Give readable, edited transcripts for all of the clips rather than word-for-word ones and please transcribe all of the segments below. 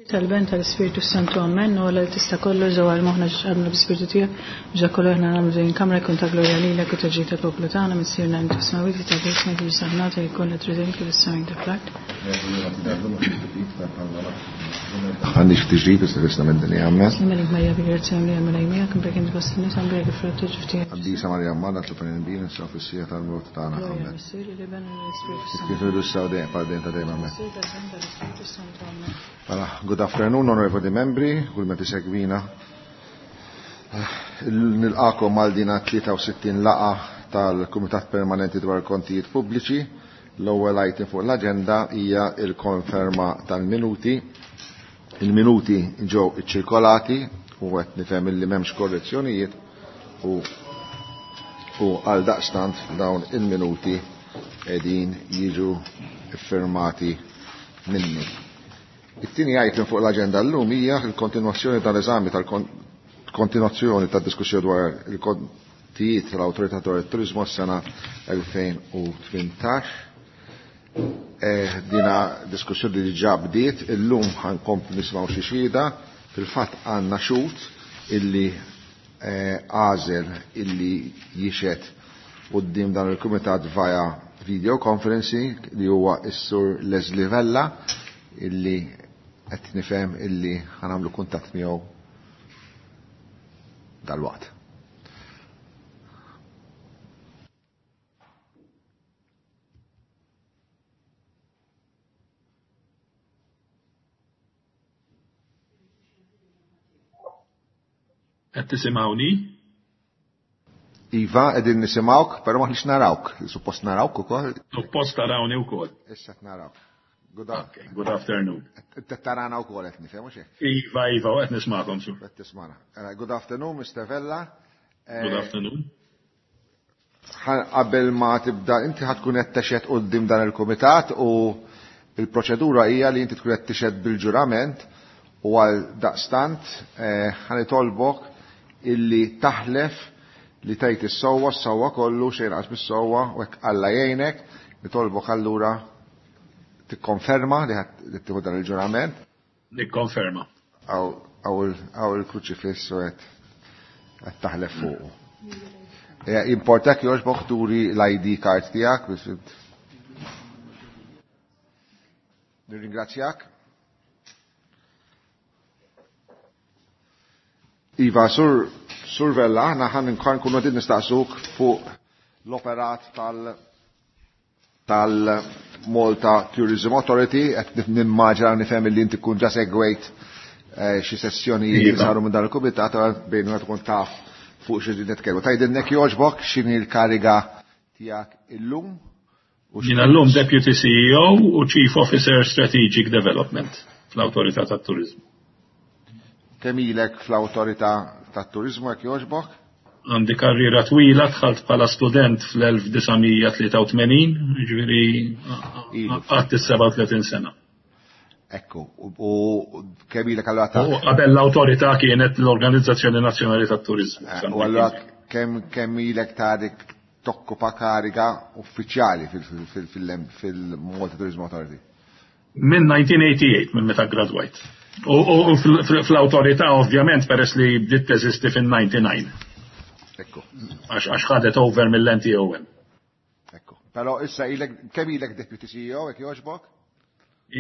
Tal-Ben tal-Ispirtu Santu Amen, u għalla li tista kollu ġewwa l-moħna ġabna bl-Ispirtu tiegħek, biex kollu aħna nagħmlu din kamra jkun ta' glorja lilek u ta' ġid tal-poplu tagħna missierna inti fis-smawwiet ta' ismek biex saħnata jkun li trid kif is-sema ta' fl-art. Għandix tiġrid issa fissna minn dinja amen. Slimelik Marija bi grazzja li għamela jmijak, mbrek inti fost in-nisa, mbrek il-frott ġiftiegħek. Qaddisa Marija Mmana tlob għalina nisa fis-siegħa tal-mewt tagħna. Glorja Amen. Missier, l-Iben u l-Ispirtu Kif Santu. ilu s dejjem bħal dejjem ta' dejjem amen. Missier, tal-Ben tal-Ispirtu Santu Amen. Mela, good afternoon, onorevoli membri, kull meta segwina. Nilqakom għal dina 63 laqa tal-Kumitat Permanenti dwar Kontijiet Pubbliċi. L-ewwel item fuq l-aġenda hija il-konferma tal-minuti. Il-minuti ġew iċċirkolati u qed nifhem illi m'hemmx korrezzjonijiet u u għal daqstant dawn il-minuti qegħdin jiġu iffirmati minni. It-tieni item fuq l-aġenda llum hija l-kontinwazzjoni tal-eżami tal-kontinwazzjoni tad-diskussjoni dwar il-kontijiet tal-Awtorità dwar it-Turiżmu għas-sena 2018. Dina diskussjoni li diġà bdiet, illum ħankomplu nisimgħu xi xhieda, fil-fatt għandna xhud illi għażel illi jixhed quddiem dan il-kumitat via video conferencing li huwa s-sur Leslie Vella illi qed nifhem illi ħanamlu kuntatt miegħu dalwaqt. Qed tisimgħuni? Iva, qegħdin nisimgħuk, però m'aħniex narawk. Suppost narawk ukoll. Suppost tarawni wkoll. Issa qed narawk. Good okay, good afternoon. Qed tarana wkoll qed nifhem hux hekk? Iva, iva, qed nismagħkom su. Qed tismana. Good afternoon, Mr. Vella. Good afternoon. Qabel ma tibda, inti ħa tkun qed texhed quddiem dan il-kumitat u il-proċedura hija li inti tkun qed tixhed bil-ġurament u għal daqstant ħa nitolbok illi taħlef li tgħid is-sewwa, s-sewwa kollu, xejn inqas mis-sewwa, u hekk Alla jgħinek, nitolbok allura tikkonferma li ħadd tieħu dan il-ġurament. Nikkonferma. Hawn il-kruċifiss u qed taħlef fuqu. Importak jogħġbok turi l-ID card tiegħek biex Nirringrazzjak. Iva, Sur Sur Vella, aħna ħan nkunu qed nistaqsuk fuq l-operat tal tal-Malta Tourism Authority, qed nimmaġina nifhem li inti tkun ġa segwejt xi sessjonijiet li saru minn dan il-kumitat, bejn wieħed tkun taf fuq xi nitkellmu. Tgħidilnek jogħġbok x'inhi l-kariga tiegħek illum? Jiena llum Deputy CEO u Chief Officer Strategic Development fl-Awtorità tat-Turiżmu. Kemm ilek fl-Awtorità tat-Turiżmu jekk jogħġbok? Għandi karriera twila, dħalt bħala student fl-1983, jiġifieri qatt is-37 sena. Ekku, u kemm ilek allura ta' U qabel l-awtorità kienet l-Organizzazzjoni Nazzjonali tat-Turiżmu. U allura kemm ilek ta' dik tokkupa kariga uffiċjali fil-Malta Tourism Authority? Minn 1988, minn meta gradwajt. U fl-awtorità ovvjament peress li bdiet teżisti fin-99. Ekku. Għax ħadet over mill-NTOM. Ekku. Però issa ilek, kemm ilek Deputy CEO, jekk jogħġbok?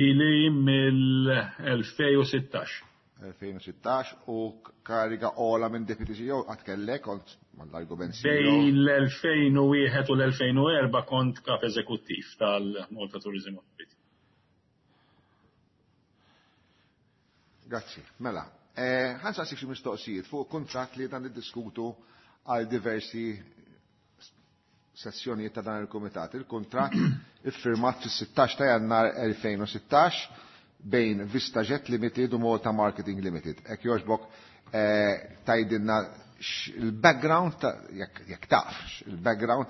Ili mill-2016. 2016 u kariga ola minn Deputy CEO għad kellek, kont mal-argument CEO. Bejn l-2001 u l-2004 kont kap eżekuttiv tal-Malta Tourism Authority. Grazzi. Mela, ħa nsaqsik xi mistoqsijiet fuq kuntratt li dan niddiskutu għal diversi sessjonijiet ta' dan il-kumitat. Il-kuntratt iffirmat fis-16 ta' Jannar 2016 bejn VistaJet Limited u Malta Marketing Limited. Hekk jogħġbok tgħidilna il-background ta' jekk taf, il-background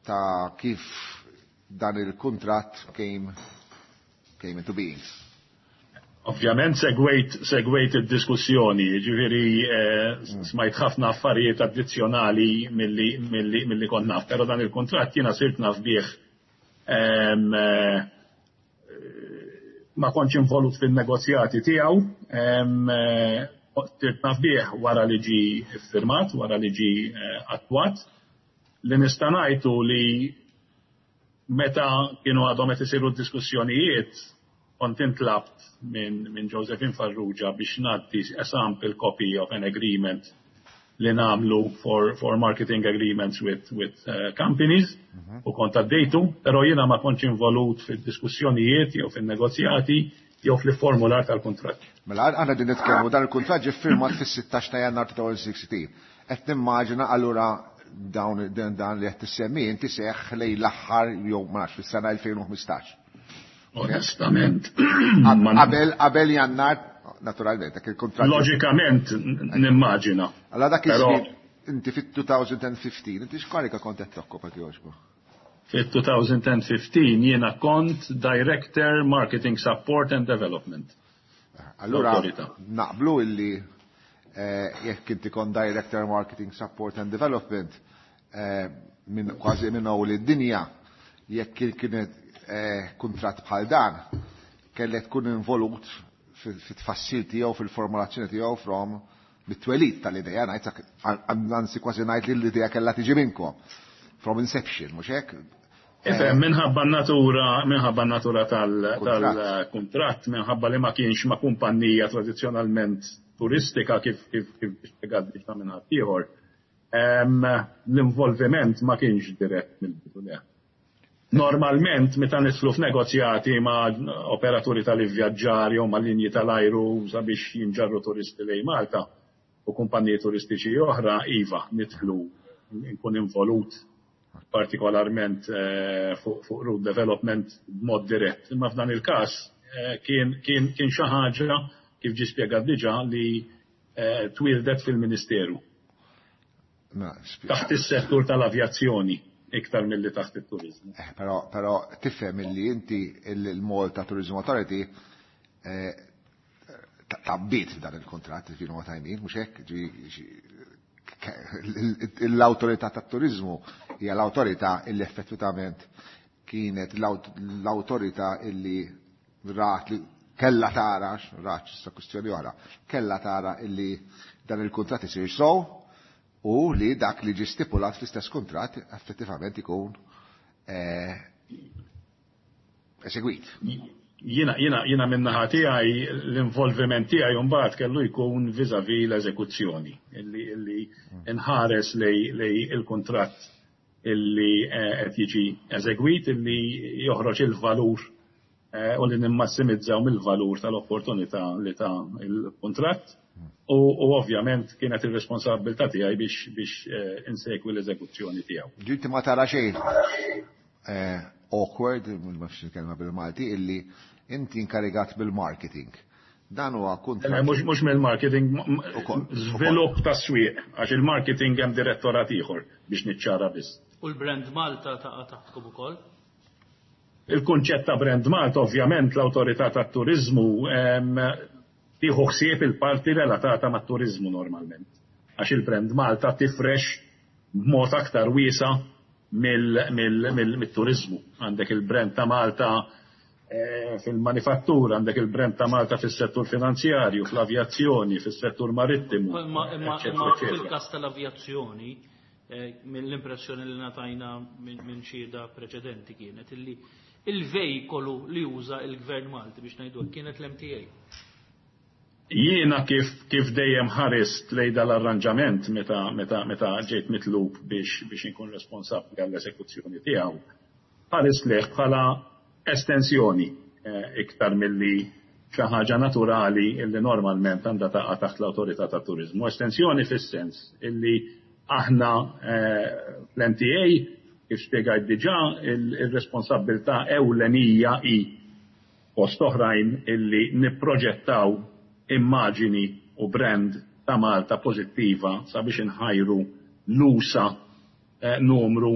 ta' kif dan il-kuntratt came into being. Ovvjament segwejt id-diskussjoni, ġifieri smajt ħafna affarijiet addizzjonali milli kont naf, però dan il-kuntratt jiena sirt naf bih Ma kontx involut fin-negozjati tiegħu, sirt naf bih wara li ġie ffirmat, wara li ġie attwat. Li nista' ngħid hu li meta kienu għadhom qed isiru d-diskussjonijiet, kont intlabt minn Josephine Farrugia biex ngħaddi a sample copy of an agreement li nagħmlu for marketing agreements with companies u kont għaddejtu, però jiena ma kontx involut fid-diskussjonijiet jew fin-negozjati jew fl-formular tal-kuntratt. Mela aħna din nitkellmu, dan il-kuntratt ġie ffirmat fis-16 ta' Jannar 2016. Qed nimmaġina allura dawn dan li qed tissemmi inti seħħ lejn l-aħħar jew ma nafx fis-sena 2015. Onestament. Qabel Jannar, naturalment, dak il-kuntratt. Loġikament nimmaġina. Allora dak iż-żmien inti fit-2015, inti x'karika kont qed tokkopa, jogħġbu? Fit-2015 jiena kont Director Marketing Support and Development. Allura naqblu illi jekk inti kont Director Marketing Support and Development minn kważi minn hawn id-dinja, jekk kienet kuntratt bħal dan, kellek tkun involut fit-tfassil tiegħu, fil-formulazzjoni tiegħu from mit-twelid tal-idea, ngħid, anzi kważi ngħid li l-idea kellha tiġi minnkom. From inception, mhux hekk? Ifhem, minħabba natura tal-kuntratt, minħabba li ma kienx ma' kumpanija tradizzjonalment turistika kif spjegat diġà minn ħaddieħor, l-involviment ma kienx dirett mill-bidu, le. Normalment, meta nidħlu f'negozjati ma' operaturi tal-ivvjaġġar jew ma' linji tal-ajru sabiex jinġarru turisti lejn Malta u kumpaniji turistiċi oħra, iva, nidħlu, nkun involut partikolarment fuq route development b'mod dirett. Imma f'dan il-każ kien xi ħaġa, kif ġi spjegat diġà, li twieldet fil-Ministeru. Taħt is-settur tal-avjazzjoni iktar milli taħt it-turizmu. Però tifhem illi inti il-Malta Tourism Authority tgħabbiet dan il-kontratt, if you know what I mean, mhux hekk? L-autorità tat-turizmu hija l-autorità illi effettivament kienet l-autorità illi rat li kella tara, rat issa kwistjoni oħra, kella tara illi dan il-kontratt isir sow u li dak li ġi stipulat fl-istess kontratt effettivament ikun esegwit. Jiena min-naħa tiegħi, l-involviment tiegħi mbagħad kellu jkun vis-à-vis l-eżekuzzjoni, illi nħares lejn il-kuntratt illi qed jiġi eżegwit, illi joħroġ il-valur u li nimmassimizzaw mill-valur tal-opportunità li ta' il-kuntratt. U ovvjament kienet ir-responsabilità tiegħi biex insegwi l-eżekuzzjoni tiegħu. Ġinti ma tara xejn awkward, ma nafx il-kelma bil-Malti, illi inti inkarigat bil-marketing. Dan huwa kuntratt. Mhux mill-marketing, żvilupp ta' swieq, għax il-marketing hemm direttorat ieħor, biex niċċara biss. U l-brand Malta taqa' taħtkom ukoll? Il-kunċett ta' brand Malta, ovvjament l-awtorità tat-turiżmu tieħu ħsieb il-parti relatata mat-turiżmu normalment. Għax il-brand Malta tifrex b'mod aktar wiesa mill-turiżmu. Għandek il-brand ta' Malta fil-manifattura, għandek il-brand ta' Malta fis-settur finanzjarju, fl-avjazzjoni, fis-settur marittimu. Imma fil-każ tal-avjazzjoni, mill-impressjoni li ngħatajna minn xhieda preċedenti kienet illi il-vejkolu li juża il-Gvern Malti, biex ngħidu, kienet l-MTA. Jiena kif dejjem ħarist lejn dal-arranġament meta ġejt mitlub biex inkun responsabbli għall-esekuzzjoni tiegħu, ħarist lejh bħala estensjoni iktar milli xi ħaġa naturali illi normalment għandha taqa' taħt l-awtorità tat-turiżmu. Estensjoni fis-sens illi aħna fl-MTA, kif spjegajt diġà, il-responsabilità ewlenija hi fost oħrajn illi nipproġettaw immaġini u brand ta' Malta pożittiva sabiex inħajru l-usa numru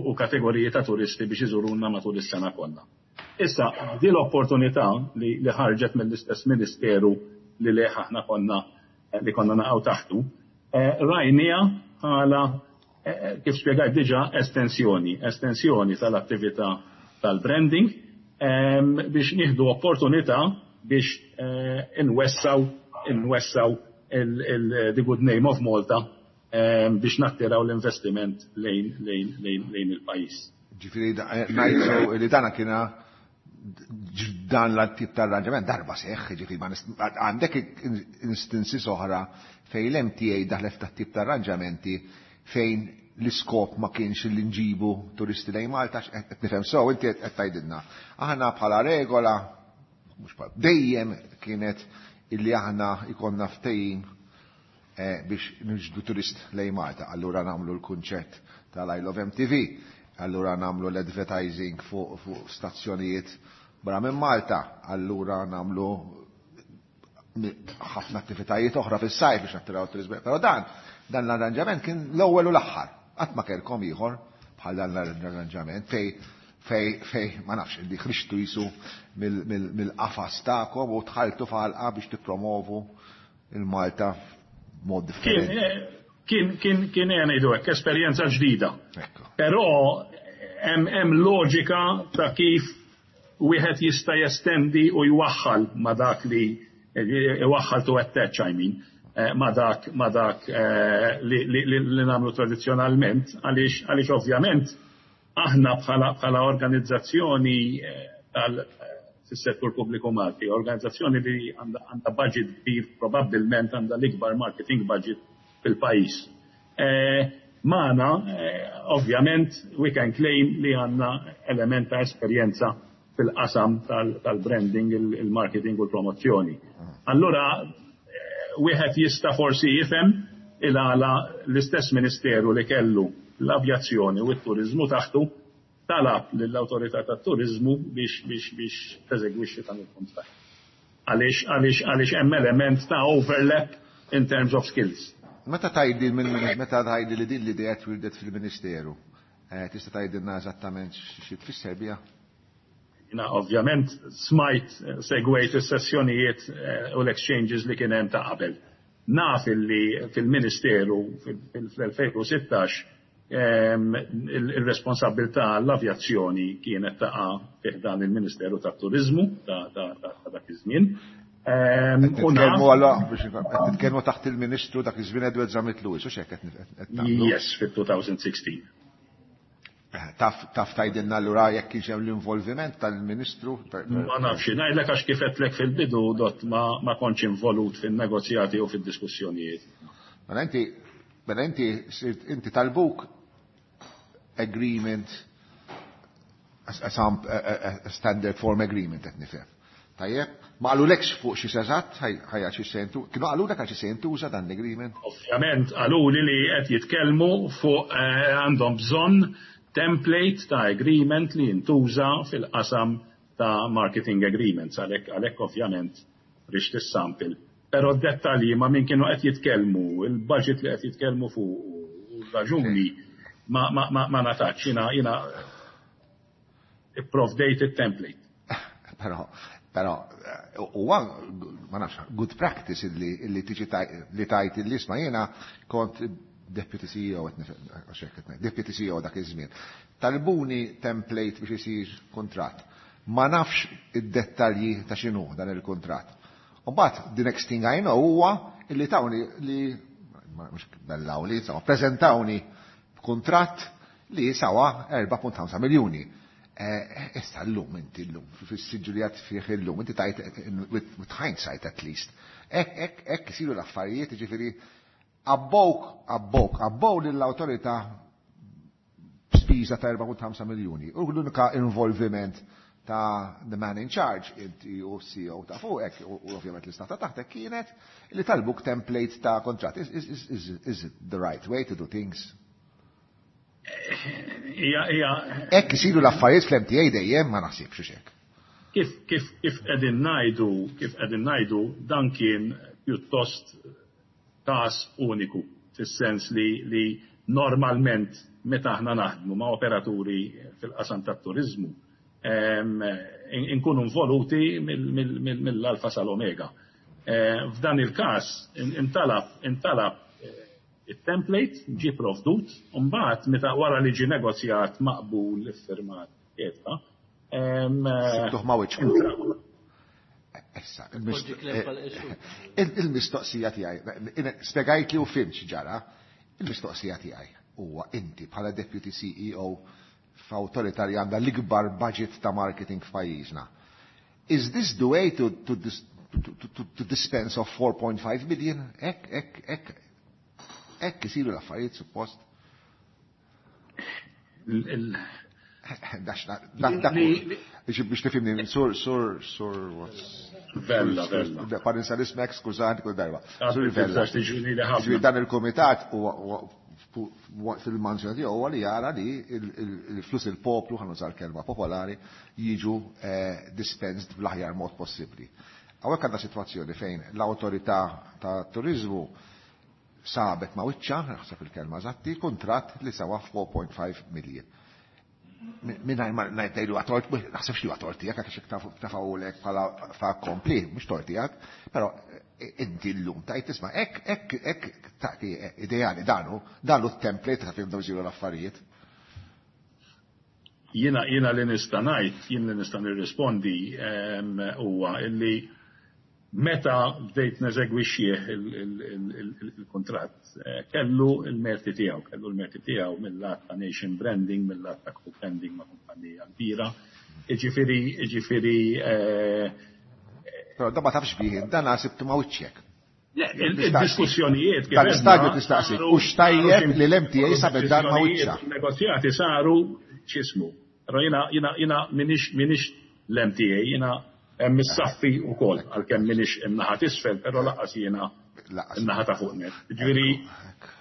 u kategoriji ta' turisti biex iżuruna matul is-sena kollha. Issa, di l-opportunità li ħarġet mill-istess ministeru li leħ aħna konna li konna naqgħu taħtu, rajnieha bħala, kif spjegajt diġà, estensjoni tal-attività tal-branding. Biex nieħdu opportunità biex inwessaw the good name of Malta biex nattiraw l-investiment lejn il-pajjiż. Ġifieri ngħidu li dana kiena dan l-tip ta' arranġament darba seħħ, ġifieri għandek instances oħra fejn l-MTA daħlet ta' tip ta' arranġamenti fejn l-iskop ma kienx li nġibu turisti lejn Malta, qed nifhem sew inti qed tgħidilna. Aħna bħala regola, mhux dejjem kienet illi aħna ikonna ftehim biex niġbdu turist lejn Malta. Allura nagħmlu l-kunċett tal-I Love MTV, allura nagħmlu l-advertising fuq stazzjonijiet barra minn Malta, allura nagħmlu ħafna attivitajiet oħra fis-sajf biex nattiraw turizmu. Però dan l-arranġament kien l-ewwel u l-aħħar. Qatt ma kellkom ieħor bħal dan l-arranġament fej ma nafx li ħriġtu jisu mill-qafas tagħkom u dħaltu f'għalqa biex tippromovu il-Malta mod differenti. Kien ngħidu hekk esperjenza ġdida. Però hemm loġika ta' kif wieħed jista' jestendi u jwaħħal ma' dak li iwaħħal, to attach, I mean, ma' dak li nagħmlu tradizzjonalment, għaliex ovvjament aħna bħala organizzazzjoni tal fis-settur pubbliku Malti, organizzazzjoni li għandha budget kbir, probabbilment għandha l-ikbar marketing budget fil-pajjiż. Magħna, ovvjament, we can claim li għandna element ta' esperjenza fil-qasam tal-branding, il-marketing u l-promozzjoni. Allura, wieħed jista' forsi jifhem il-għala l-istess ministeru li kellu l-avjazzjoni u t-turizmu taħtu talab lill-autorità tat-turizmu biex teżegwixxi dan il-kuntratt. Għaliex hemm element ta' overlap in terms of skills. Meta tgħidli li din l-idea twildet fil-Ministeru, tista' tgħidilna eżattament xi tfisser biha? Jiena ovvjament smajt, segwejt is-sessjonijiet u l-exchanges li kien hemm ta' qabel. Naf illi fil-Ministeru fil-2016 il-responsabilità l-avjazzjoni kienet taqa' fi ħdan il-Ministeru tat-Turizmu ta' dak iż-żmien. U naf biex nitkellmu taħt il-Ministru dak iż-żmien Edward Zammit Lewis, u x'hekk qed nagħmlu? Yes, fit-2016. Taf tgħidilna allura jekk kienx hemm l-involviment tal-Ministru? Ma nafx, ngħidlek għax kif għedtlek fil-bidu dot ma kontx involut fin-negozjati u fid-diskussjonijiet. Mela inti talbuk agreement, a standard form agreement, qed nifhem. Tajjeb, ma qalulekx fuq xi eżatt ħajja xi sentu, kienu qalulek għal xi se jintuża dan l-agreement? Ovvjament qaluli li qed jitkellmu fuq għandhom bżonn template ta' agreement li jintuża fil-qasam ta' marketing agreements, għalhekk ovvjament rixt is-sample. Però d-dettalji ma' min kienu qed jitkellmu, il-budget li qed jitkellmu fuq u raġuni ma natax, jiena ipprovdejt it-template. Però huwa, ma nafx, good practice illi tiġi li tgħid illi isma' jiena kont deputy CEO, għax hekk qed ngħid, deputy CEO dak iż-żmien. Talbuni template biex isir kuntratt. Ma nafx id-dettalji ta' x'inhu dan il-kuntratt. U mbagħad the next thing I know huwa illi tawni li mhux bellawli, insomma, preżentawni b'kuntratt li sawa 4.5 miljuni. Issa l-lum inti l-lum, fis-siġġu li għad fih illum, inti tgħid with hindsight at least. Hekk isiru l-affarijiet, ġifieri abbowk, abbowk, abbow lill-awtorità spiża ta' 4.5 miljuni. U l-unika involviment ta' the man in charge, inti u CEO ta' fuqek, u ovvjament l-istaff ta' taħtek kienet li talbuk template ta' contract. Is it the right way to do things? Ija. Hekk isiru l-affarijiet fl-MTA dejjem, ma naħsibx hekk. Kif qegħdin ngħidu, dan kien pjuttost każ uniku, fis-sens li normalment meta aħna naħdmu ma' operaturi fil-qasam tat-turizmu, inkunu involuti mill-alfa sal-omega. F'dan il-każ intalab il-template, ġi provdut, u mbagħad meta wara li ġi negozjat, maqbul, iffirmat, eċetera. Sibtuh ma' wiċċkom. Issa, il-mistoqsija tiegħi, spjegajt li u fhimt x'ġara, il-mistoqsija tiegħi huwa inti bħala Deputy CEO f'awtorità li għandha l-ikbar budget ta' marketing f'pajjiżna. Is this the way to dispense of 4.5 million? Hekk, hekk, hekk, hekk isiru l-affarijiet suppost? Biex tifhimni, sur, sur, sur, Vella, Vella. Parinsa l-ismek, skużani kull darba. Sur Vella. Dan il-komitat fil-manzjoni tiegħu huwa li jara li il-flus il-poplu, ħa nuża l-kelma popolari, jiġu dispensed bl-aħjar mod possibbli. Hawnhekk għandna sitwazzjoni fejn l-awtorità ta' turizmu sabet ma' wiċċa, naħseb il-kelma eżatti, kuntratt li sewa 4.5 million. Mingħajr ma ngħidlu għatort, naħseb li għatort tiegħek, għax tafawlek bħala fa' kompli, mhux tort tiegħek, però inti llum tajt tisma' hekk hekk hekk tagħti ideali danu t-template ta' kif isiru l-affarijiet. Jiena li nista' ngħid, jien li nista' nirrispondi huwa illi meta bdejt neżegwixxih il-kuntratt, kellu l-merti tiegħu, kellu l-merti tiegħu mill-lat ta' nation branding, mill-lat ta' co-branding ma' kumpanija kbira. Iġifieri Però da ma tafx bih, dan sibtu ma' wiċċek. Il-diskussjonijiet kif Tal-istadju tistaqsi, u xtajjeb li l-MTA sabet dan ma' wiċċa. Negozjati saru x'ismu. Però jiena minix l-MTA, jiena hemm is-saffi wkoll, għalkemm minix in-naħa t'isfel, però lanqas jiena in-naħa ta' fuq net. Ġifieri,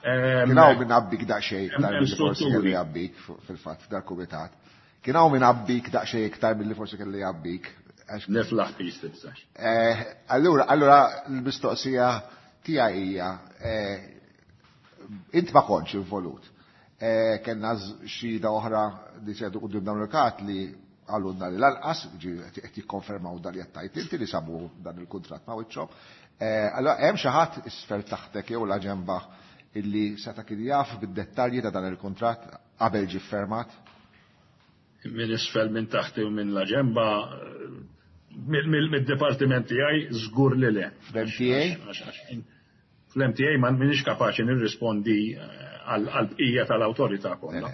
Kien hawn minn għabbik daqsxejn iktar milli forsi kelli għabbik fil-fatt f'dal-kumitat. Kien hawn minn għabbik daqsxejn iktar milli forsi kelli għabbik. Niflaħ pis tibżax. Allura l-mistoqsija tiegħi hija, int ma kontx involut. Kellna xhieda oħra li sedu quddiem dawn il-kat li għalunna li lanqas, qed jikkonfermaw dan li qed tgħid inti li sabu dan il-kuntratt ma' wiċċhom. Allura hemm xi ħadd isfel taħtek jew la ġemba illi seta' kien jaf bid-dettalji ta' dan il-kuntratt qabel ġie fermat? Minn isfel minn taħti u minn la ġemba, mid-dipartiment tiegħi żgur li le. Fl-MTA? Fl-MTA ma minix kapaċi nirrispondi għal-bqija tal-awtorità kollha.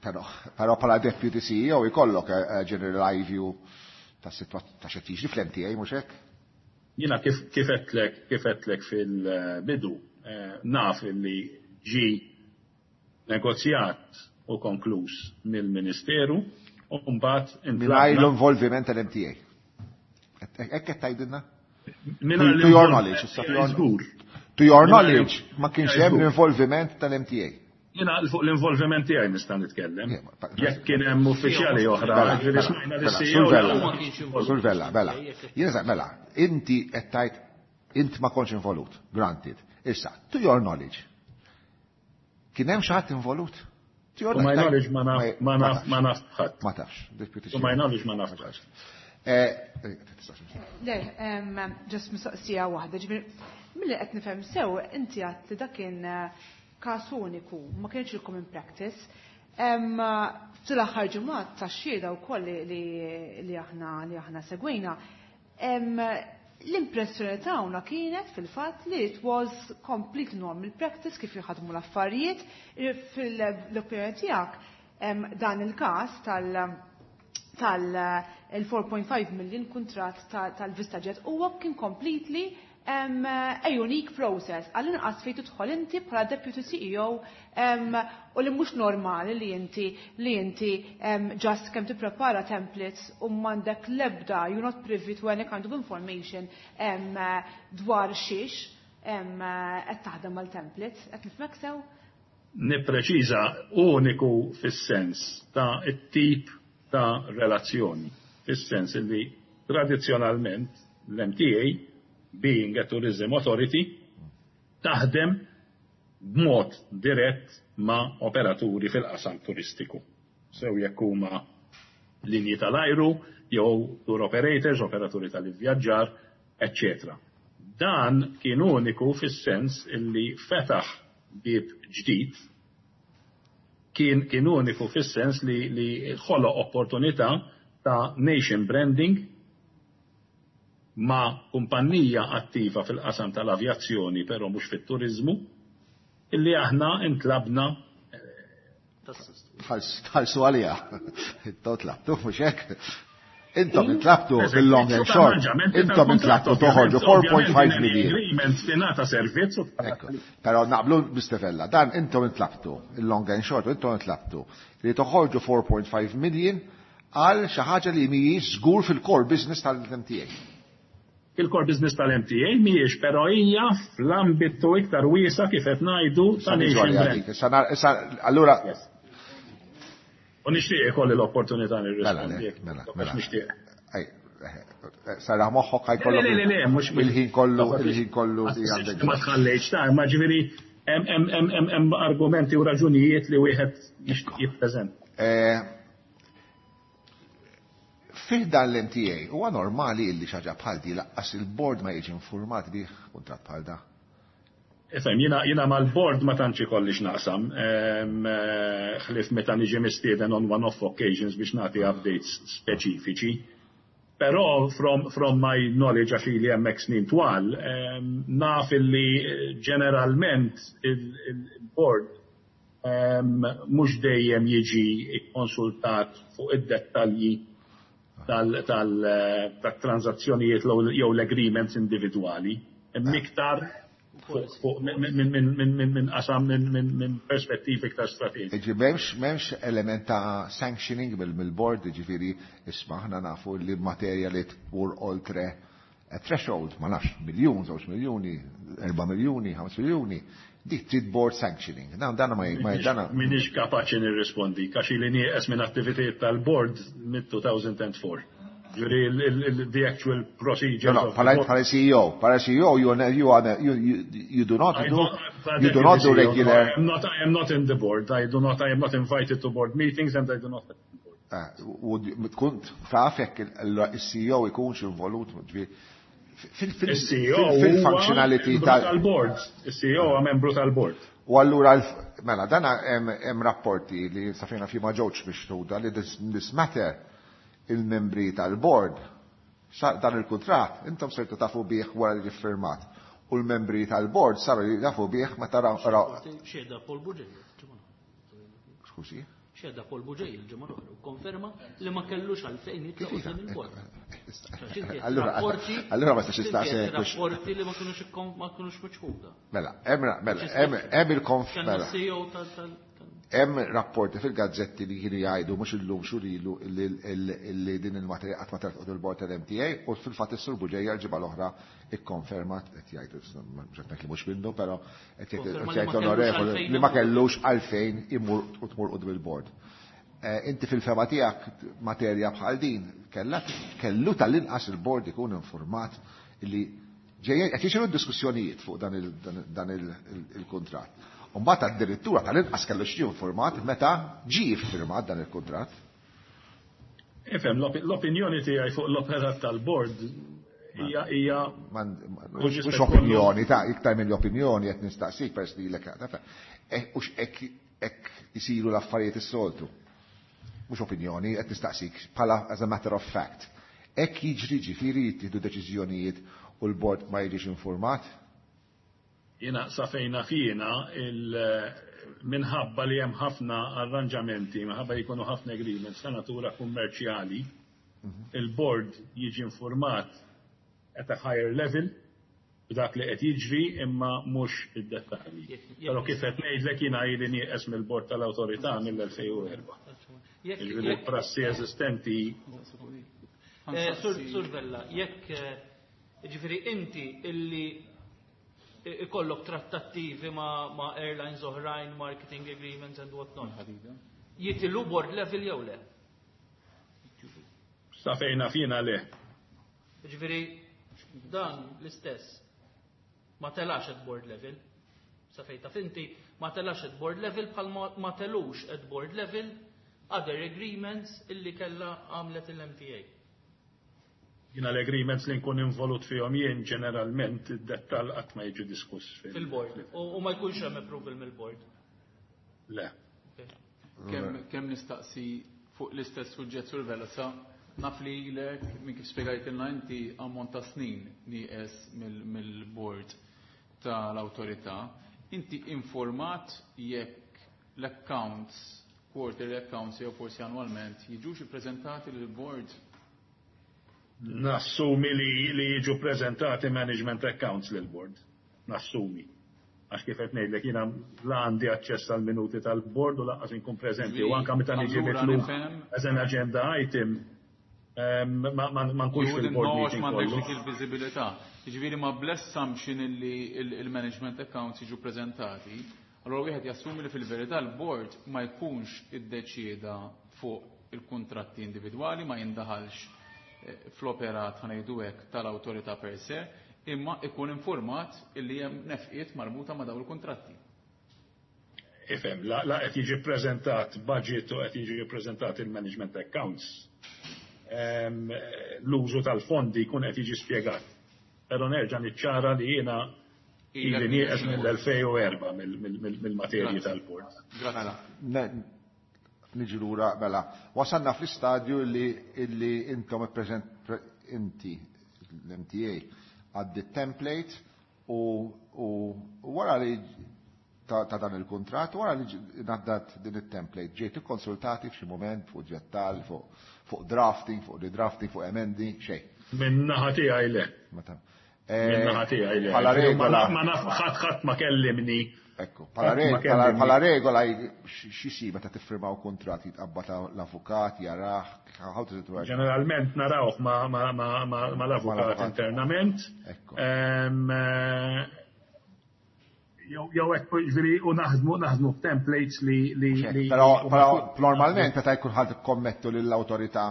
Però bħala Deputy CEO jkollok general eye view ta' xi tiġri fl-MTA, mhux hekk? Jiena kif għedtlek fil-bidu, naf li ġi negozjat u konkluż mill-Ministeru u mbagħad Mingħajr l-involviment tal-MTA. Hekk qed tgħidilna? To your knowledge, issa to your Żgur. To your knowledge, ma kienx hemm l-involviment tal-MTA. Jiena fuq l-involviment tiegħi nista' nitkellem. Jekk kien hemm uffiċjali oħra, ġifieri smajna li CEO Mela, Sur Vella, mela. Jiena sa, mela, inti qed tgħid int ma kontx involut, granted. Issa, to your knowledge, kien hemm xi ħadd involut? To your my knowledge ma naf, ma naf, ma naf ħadd. Ma tafx, deputy To my knowledge ma naf ħadd. Le, just mistoqsija waħda, ġifieri, milli qed nifhem sew, inti għedt li dak kien każ uniku, ma kienx il-common practice. Fl-aħħar ġimgħat tax-xhieda wkoll li aħna segwejna, l-impressjoni tagħna kienet fil-fatt li it was complete normal practice kif jħadmu l-affarijiet. Fil-opinjoni tiegħek, dan il-każ tal il-4.5 million kuntratt tal-VistaJet huwa kien completely a unique process. Għall-inqas fejn tidħol inti bħala Deputy CEO, u li mhux normali li inti just kemm tipprepara templates u m'għandek l-ebda, you're not privy to any kind of information dwar xiex qed taħdem mal-templates. Qed nifhmek sew? Nippreċiża, uniku fis-sens ta' it-tip ta' relazzjoni, fis-sens li tradizzjonalment l-MTA, being a tourism authority, taħdem b'mod dirett ma' operaturi fil-qasam turistiku. Sew jekk huma linji tal-ajru, jew tour operators, operaturi tal-ivvjaġġar, eccetera. Dan kien uniku fis-sens illi fetaħ bib ġdid, kien uniku fis-sens li ħoloq opportunità. ta' nation branding ma' kumpanija attiva fil-qasam tal-avjazzjoni, però mhux fit-turizmu, illi aħna intlabna Tħallsu għalija. Intom tlabtu, mhux hekk. Intom intlabtu fil-long and short. Intom intlabtu toħorġu 4.5 million. Agreement tingħata servizz u Ekku. Però naqblu Mr. Vella, dan intom intlabtu, il-long and short, intom intlabtu li toħorġu 4.5 million għal xi ħaġa li mhijiex żgur fil-core business tal-MTA. Il-core business tal-MTA mhijiex, però hija fl-ambitu iktar wiesa' kif qed ngħidu ta' nation brand. Issa allura U nixtieq ikolli l-opportunità nirrispondi. Mela. Nixtieq. Sara moħħok ħa jkollok. Le, mhux il-ħin kollu, il-ħin kollu li għandek. Ma tħallejx ta' ma ġifieri hemm argumenti u raġunijiet li wieħed jippreżenta. Fih dan l-MTA, huwa normali illi xi ħaġa bħal di lanqas il-board ma jiġi informat bih kuntratt bħal da? Ifhem, jiena mal-board ma tantx ikolli x'naqsam, ħlief meta niġi mistieden on one-off occasions biex nagħti updates speċifiċi. Però from my knowledge, għax ili hemmhekk snin twal, naf illi ġeneralment il-board mhux dejjem jiġi konsultat fuq id-dettalji tal-transazzjonijiet jew l-agreements individwali. Iktar minn qasam minn perspettivi iktar strateġiċi. Ġi m'hemmx element ta' sanctioning mill-board, ġifieri isma' aħna nafu li materja li tmur oltre a threshold, ma nafx, miljun, 2 miljuni, 4 miljuni, 5 miljuni, dik trid board sanctioning. Dan dana ma dana. Minix kapaċi nirrispondi, għax ili nieqes minn attivitajiet tal-board mid-2004. Ġifieri the actual procedure. No, bħala CEO, bħala CEO, you do not do, you do not do regular. I am not in the board. I do not, I am not invited to board meetings and I do not attend board. U tkun taf jekk il-CEO ikunx involut Il-CEO fil-functionality tal-board. Il-CEO huwa membru tal-board. U allura, mela, dana hemm rapporti li safina fi ma ġewx biex tuda li this matter il-membri tal-board dan il-kontrat intom sirtu tafu bih wara li firmat. U l-membri tal-board saru jafu bih meta raw. Xhieda Paul Bugeja. Skużi? Xhieda Paul Bugeja il-ġimgħa l-oħra u konferma li ma kellux għalfejn jitlaq quddiem il-bord. Allura ma stax istaqsi. Rapporti li ma kinux miċħuda. Mela, hemm il-konf. Mela. CEO tal Hemm rapporti fil-gazzetti li kienu jgħidu mhux illum xhur ilu li din il-materja qatt ma telqot il-bord tal-MTA u fil-fatt is-Sur Bugeja l-ġimgħa l-oħra ikkonfermat qed jgħidu, mhux qed li mhux minnu, però qed jgħid onorevoli li ma kellux għalfejn imur u tmur quddiem il-bord. Inti fil-fehma tiegħek materja bħal din kellha kellu tal-inqas il-bord ikun informat li ġejjin qed jiġru diskussjonijiet fuq dan il-kuntratt. Umbagħad addirittura tal-inqas kellu xi informat meta ġie firmat dan il-kuntratt. Ifhem, l-opinjoni tiegħi fuq l-operat tal-board hija Mhux opinjoni, ta' iktar mill opinjoni qed nistaqsik pers li lek hux hekk isiru l-affarijiet is-soltu. Mhux opinjoni, qed nistaqsik bħala as a matter of fact. Hekk jiġri, ġifieri jittieħdu deċiżjonijiet u l-bord ma jiġix informat? Jiena sa fejn naf jiena, minħabba li hemm ħafna arranġamenti, minħabba li jkunu ħafna agreements ta' natura kummerċjali, il-board jiġi informat at a higher level b'dak li qed jiġri imma mhux id-dettalji. Però kif qed ngħidlek jiena ili nieqes mill-bord tal-awtorità mill-2004. Jiġifieri prassi eżistenti. Sur Vella, jekk ġifieri inti illi ikollok trattattivi ma airlines oħrajn, marketing agreements and what not. Jitilgħu board level jew le? Sa fejn naf jiena le. Ġifieri dan l-istess ma telax at board level. Sa fejn taf inti ma telax at board level bħal ma telux at board level other agreements illi kella għamlet il-MTA. Jiena l-agreements li nkun involut fihom jien ġeneralment id-dettall qatt ma jiġi diskuss fil-board. U ma jkunx hemm approval mill-board. Le. Kemm nistaqsi fuq l-istess suġġett, Sur Vella, sa Naf li ilek, minn kif spjegajtilna inti, ammont ta' snin nieqes mill-board tal-awtorità. Inti informat jekk l-accounts, quarterly accounts jew forsi annwalment, jiġux ippreżentati lill-board? Nassumi li jiġu ppreżentati management accounts lill-board. Nassumi. Għax kif qed ngħidlek jiena la għandi aċċess għall-minuti tal-board u lanqas inkun preżenti u anke meta niġi mitlub as an agenda item ma nkunx fil-board meeting. M'għandekx dik il-viżibilità. Jiġifieri ma bl-assumption illi il-management accounts jiġu preżentati, allura wieħed jassumi li fil-verità l-board ma jkunx iddeċieda fuq il-kuntratti individwali, ma jindaħalx fl-operat, ħa ngħidu hekk, tal-awtorità per se, imma ikun informat illi hemm nefqiet marbuta ma' dawn il-kuntratti. Ifhem, la qed jiġi ppreżentat budget u qed jiġi ppreżentat il-management accounts, l-użu tal-fondi jkun qed jiġi spjegat. Però nerġa' niċċara li jiena ili nieqes mill-2004 mill-materji tal-bord. Grazzi. Niġi lura mela. Wasalna fl-istadju li illi intom inti l-MTA għaddi template u wara li ta' dan il-kuntratt, wara li ngħaddat din it-template, ġejt ikkonsultati f'xi mument fuq ġettal, fuq drafting, fuq redrafting, fuq emendi, xejn? Min-naħa tiegħi le. Min-naħa tiegħi le. Bħala regola. Ma naf ħadd ħadd ma kellimni. Ekku, bħala regola x'isir meta tiffirmaw kuntratt jitqabbad l-avukat, jarah, how does it work? Ġeneralment narawh ma l-avukat internament. Ekku. Jew hekk jiġifieri u naħdmu naħdmu b'templates li li Però normalment meta jkun ħadd ikkommettu lill-awtorità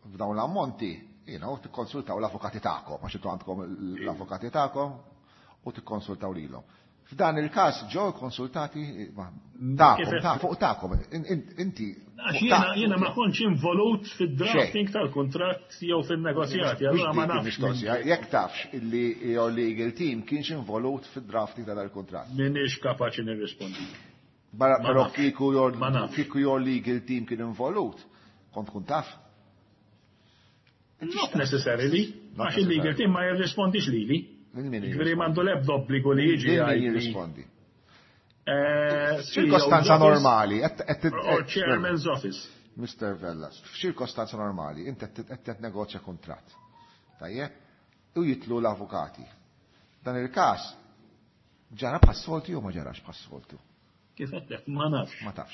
f'dawn l-ammonti, you know, tikkonsultaw l-avukati tagħkom, għax intom għandkom l-avukati tagħkom u tikkonsultaw lilhom. F'dan il-każ ġew konsultati tagħkom, ta' fuq tagħkom, inti. Għax jiena ma kontx involut fid-drafting tal-kuntratt jew fin-negozjati, allura ma nafx. Jekk tafx illi your legal team kienx involut fid-drafting ta' dal-kuntratt. M'iniex kapaċi nirrispondi. Però kieku your kieku your legal team kien involut, kont tkun taf? Not necessarily, għax il-legal team ma jirrispondix lili. Ġifieri m'għandu l-ebda obbligu li jiġi. Min jirrispondi? Ċirkostanza normali. Or chairman's office. Mr. Vella, f'ċirkostanza normali, inti qed negozja kuntratt. Tajjeb? U jitlu l-avukati. Dan il-każ ġara bħas-soltu jew ma ġarax bħas-soltu? Kif għedtlek, ma nafx. Ma tafx.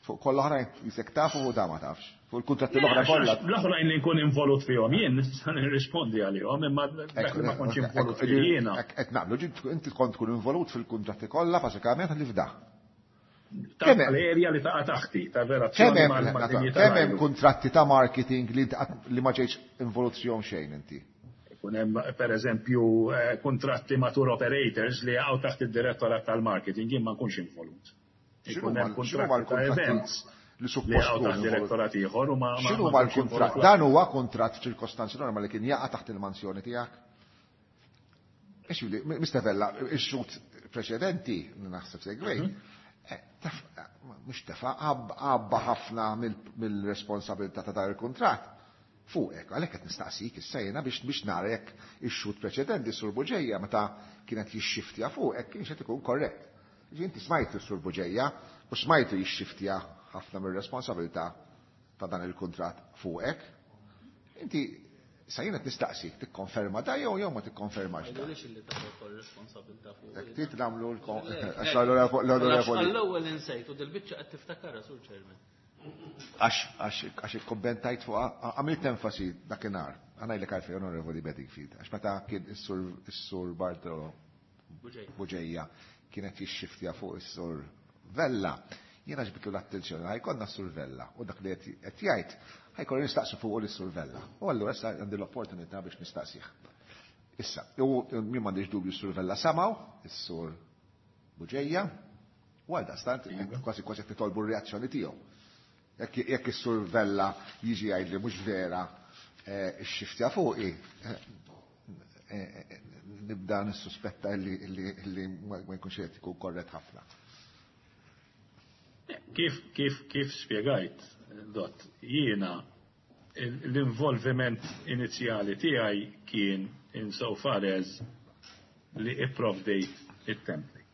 Fuq koll oħrajn jisek tafu u da ma tafx. Fuq il-kuntratti l-oħra kollha. L-oħrajn li nkun involut fihom jien nista' nirrispondi għalihom, imma dak li ma kontx involut fih jiena. Qed naqblu, inti kont tkun involut fil-kuntratti kollha bażikament li f'da. Tal-erja li taqa' taħti, tar-relazzjoni mal-dinji. Kemm hemm kuntratti ta' marketing li ma ġejtx involut fihom xejn inti? Ikun hemm pereżempju kuntratti ma' tour operators li jaqgħu taħt id-direttorat tal-marketing, jien ma nkunx involut. Ikun hemm kuntratti ta' events li suppost jaqgħu taħt direttorat ieħor u ma X'inhu ma l-kuntratt? Dan huwa kuntratt f'ċirkostanzi normali kien jaqa' taħt il-mansjoni tiegħek? Mr. Vella, ix-xhud preċedenti, naħseb segwej, mhux tefa' għabba ħafna mill-responsabilità ta' dan il-kuntratt fuqek, għalhekk qed nistaqsik issa jiena biex nara jekk ix-xhud preċedenti Sur Bugeja meta kienet jixxiftja fuqek kienx qed ikun korrett. Inti smajtu Sur Bugeja u smajtu jixxiftja ħafna mir-responsabilità ta' dan il-kuntratt fuqek. Inti sa jiena qed nistaqsik tikkonferma da jew jew ma tikkonfermax da. Għidulix illi taħu wkoll responsabilità fuq. Jekk trid nagħmlu għax l-onorevoli. Għall-ewwel insejt u dil-biċċa qed tiftakarha Sur Chairman. Għax ikkommentajt fuq, għamilt enfasi dakinhar. Għanajlek għalfejn Onorevoli Bedingfield, għax meta kien is-Sur Bartolo Bugeja kienet jixxiftja fuq is-Sur Vella, jiena ġbitlu l-attenzjoni, ħajkonna s-Sur Vella, u dak li qed jgħid ħajkollu nistaqsu fuq is-Sur Vella. U allura issa għandi l-opportunità biex nistaqsih. Issa, u min m'għandix dubju s-Sur Vella samaw, is-Sur Bugeja, u għal daqstant kważi kważi qed nitolbu r-reazzjoni tiegħu. Jekk is-Sur Vella jiġi jgħid li mhux vera x-xiftja fuqi, nibda nissuspetta li ma jkunx qed ikun korrett ħafna. Kif spjegajt, Dott, jiena L-involviment inizjali tiegħi kien insofar as li ipprovdejt it-template.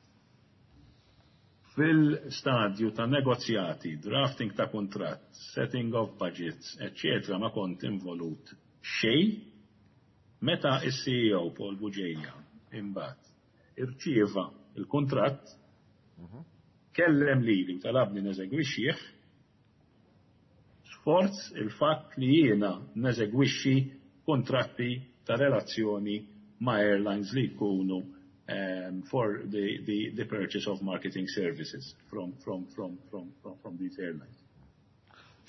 Fil-stadju ta' negozjati, drafting ta' kuntratt, setting of budgets, eccetera, ma kont involut xejn. Meta is-CEO Paul Bugeja imbagħad irċieva il-kuntratt, kellem lili u talabni neżegwixxih, sforz il-fatt li jiena neżegwixxi kontratti ta' relazzjoni ma' airlines li jkunu for the purchase of marketing services from these airlines.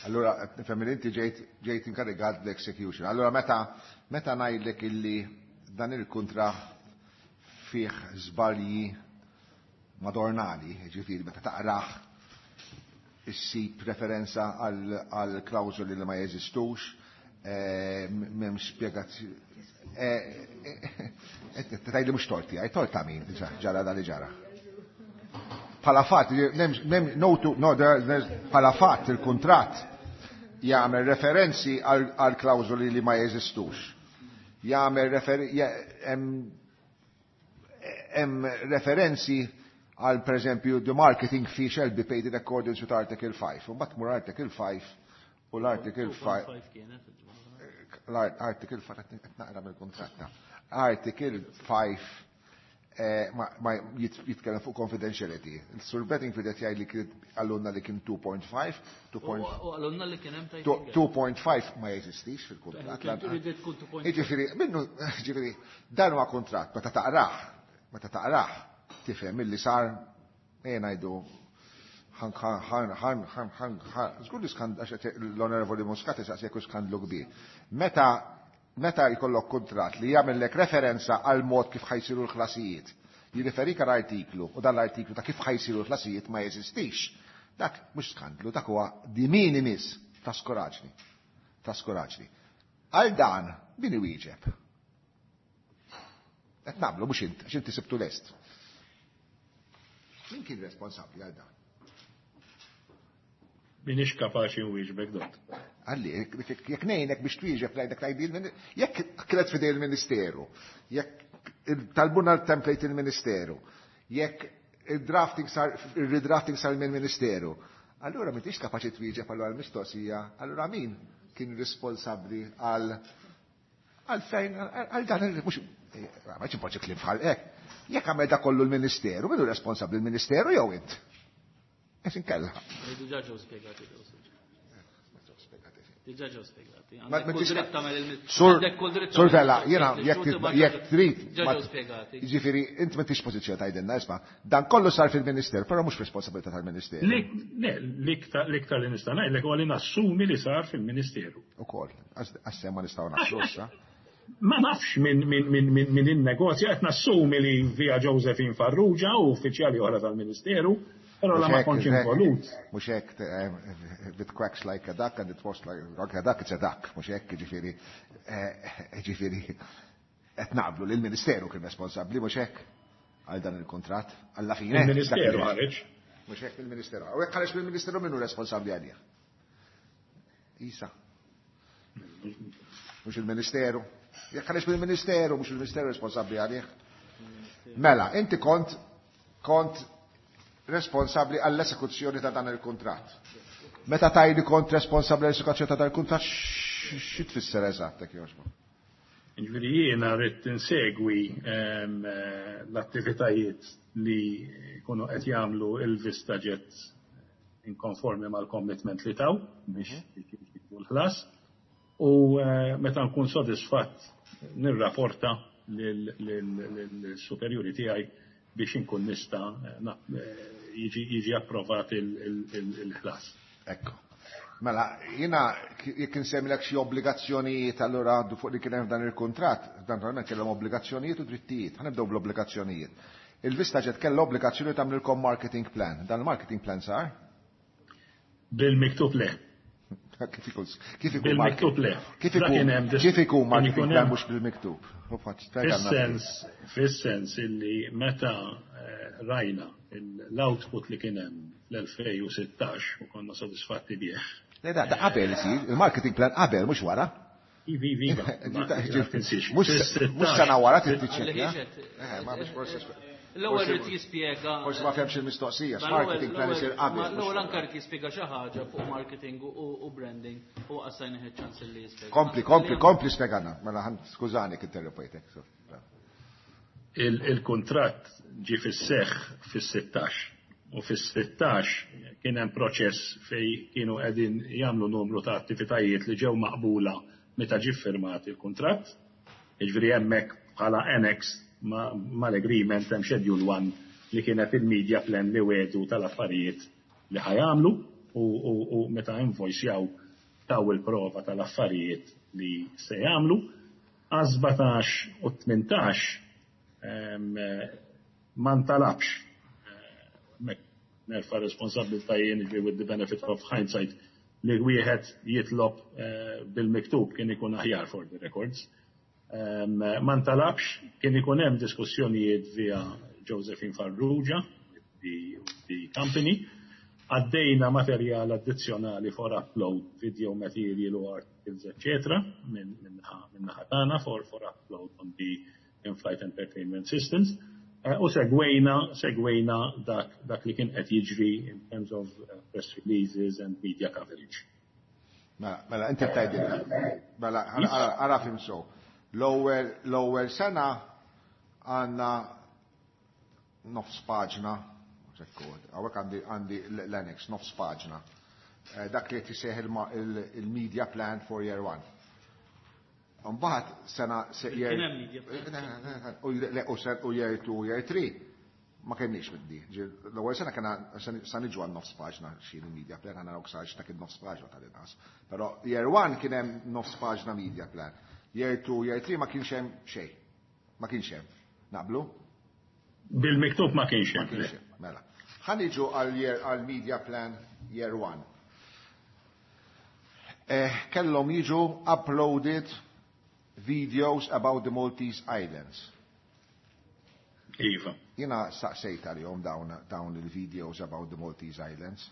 Allora, nifhem li inti ġejt inkarigat l-execution. Allora, meta ngħidlek illi dan il-kuntratt fih żbalji madornali, ġifieri meta taqrah issib referenza għal klawżoli li ma jeżistux, m'hemm spjegazzjoni. Tgħidli mhux torti, għaj tort ta' min ġara dan li ġara. Bħala fatt, no, no, bħala fatt il-kuntratt jagħmel referenzi għal klawżoli li ma jeżistux. Jagħmel hemm referenzi għal, per eżempju, "the marketing fee shall be paid in accordance with Article 5". U mbagħad tmur Article 5 u l-Article 5 2.5 kienet. L-Article 5, qed naqra mill-kontratta. Article 5 ma jitkellem fuq confidentiality. Il-Sur Bedingfield qed jgħid li kien għallunna li kien 2.5, U għallunna li kien hemm 2.5 ma jeżistix fil-kuntratt. Trid tkun 2.5. Ġifieri, minnu, ġifieri, dan huwa kuntratt, meta taqrah, tifhem illi sar, ngħidu, ħan ħan ħan ħan ħan ħan, żgur li għax l-Onorevoli Muscat jisaqsi jekk skandlu kbir. Meta jkollok kuntratt li jagħmellek referenza għal mod kif ħa jsiru l-ħlasijiet, jirriferik għal artiklu u dan l-artiklu ta' kif ħa jsiru l-ħlasijiet ma jeżistix. Dak mhux skandlu, dak huwa de minimis traskuraġni. Traskuraġni. Għal dan, min iwieġeb? Qed nagħmlu mhux int, għax inti sibtu lest. Min kien responsabbli għal dan? Minix kapaċi nwieġbek, dott. Għalli, jekk ngħinek biex twieġeb ngħidlek tgħidli jekk kienet fidej il-Ministeru, jekk talbuna l-template il-Ministeru, jekk il-drafting sar, il-redrafting sar mill-Ministeru, allura m'intix kapaċi twieġeb allura l-mistoqsija, allura min kien responsabbli għal fejn, għal dan il mhux, ma ċimpoġġi kliem bħal hekk. Jekk għamel da kollu l-Ministeru, min hu responsabbli, l-Ministeru jew int? Esin kella. Diġà ġew spjegati. Diġà ġew spjegati. Sur Vella, jena, jekk trid. Diġà ġew spjegati. Ġifieri, int m'intix pożizzjoni tgħidilna, isma', dan kollu sar fil-Ministeru, però mhux responsabilità tal-Ministeru. L-iktar li nista' ngħidlek huwa li nassumi li sar fil-Ministeru. Ukoll, għassem ma nistgħu nafsu issa. Ma nafx min in-negozja, qed nassumi li via Josephine Farrugia u uffiċjali oħra tal-Ministeru, però la ma kontx involut. Mhux hekk, if it quacks like a duck and it was like a duck, it's a duck. Mhux hekk, ġifieri, qed naqblu li l-Ministeru kien responsabbli, mhux hekk, għal dan il-kuntratt, alla fine. Il-Ministeru ħareġ. Mhux hekk, il-Ministeru. U jekk ħareġ mill-Ministeru, min hu responsabbli għalih? Isa. Mhux il-Ministeru. Jekk ħareġ mill-Ministeru, mhux il-Ministeru responsabbli għalih? Mela, inti kont responsabbli għall-esekuzzjoni ta' dan il-kuntratt. Meta tgħidli kont responsabbli għall-esekuzzjoni ta' dan il-kuntratt, xi tfisser eżatt, jekk jogħġbok? Ġifieri jiena rrid insegwi l-attivitajiet li jkunu qed jagħmlu il-Vista Jet in konformi mal-commitment li taw biex jkunu l-ħlas u meta nkun sodisfatt nirrapporta lill-superjuri tiegħi biex inkun nista' jiġi approvat il-ħlas. Ekku. Mela, jiena jekk insemmilek xi obbligazzjonijiet allura għaddu fuq li kien hemm dan il-kuntratt, dan naturalment kellhom obbligazzjonijiet u drittijiet. Ħa nibdew bl-obbligazzjonijiet. Il-Vista Jet kellha obbligazzjoni tagħmlilkom marketing plan. Dan il-marketing plan sar? Bil-miktub le. Kif ikun Bil-miktub le. Kif Dak ikun kien hemm kif ikun kien marketing ikun plan hemm mhux bil-miktub? Fis-sens illi meta rajna l-output li kien hemm fl-2016 u konna sodisfatti bih. Le, da qabel isir, il-marketing plan qabel, mhux wara. Ivi, ivi, iva. Mhux sena wara trid tiċċekkja. Eh, ma biex forsi. L-ewwel irid jispjega. Forsi ma fehmx il-mistoqsija, marketing plan isir qabel. L-ewwel anke rid jispjega xi ħaġa fuq marketing u branding u qassajna ċans li jispjega. Kompli, kompli, kompli spjegana. Mela skużani interrompejtek. Il-kuntratt ġie fis-seħħ fis-16 u fis-16 kien hemm proċess fej kienu qegħdin jagħmlu numru ta' attivitajiet li ġew maqbula meta ġie firmat il-kuntratt. Jiġifieri hemmhekk bħala annex mal-agreement hemm schedule 1 li kienet il-media plan li wedu tal-affarijiet li ħa jagħmlu u meta invoicejaw taw il-prova tal-affarijiet li se jagħmlu. Għal 17 u 18 ma ntalabx, nerfa' responsabbiltà jien, with the benefit of hindsight, li wieħed jitlob bil-miktub kien ikun aħjar for the records. Ma ntalabx, kien ikun hemm diskussjonijiet via Josephine Farrugia, the company, għaddejna materjal addizzjonali for upload, video material u articles, etc. minn naħa tagħna for upload on the in-flight entertainment systems. U segwejna dak li kien qed jiġri in terms of press releases and media coverage. Mela, mela, inti tgħidilna. Mela, ara fhimt sew. L-ewwel sena għandna nofs paġna, hawnhekk għandi l-annex, nofs paġna. Dak li qed jseħ il-media plan for year one. Mbagħad sena year u year 2 u year 3 ma kenniex middi. L-ewwel sena kena sa niġu għal nofs paġna xi media plan, ħa naraw ksarx ta' kien nofs paġna tal-inqas. Però year 1 kien hemm nofs paġna media plan. Year 2, year 3 ma kienx hemm xejn. Ma kienx hemm. Naqblu? Bil-miktub ma kienx hemm. Mela. Ħa niġu għal media plan year 1. Kellhom jiġu uploaded videos about the Maltese Islands. Iva. Jiena saqsejt għalihom dawn il-videos about the Maltese Islands.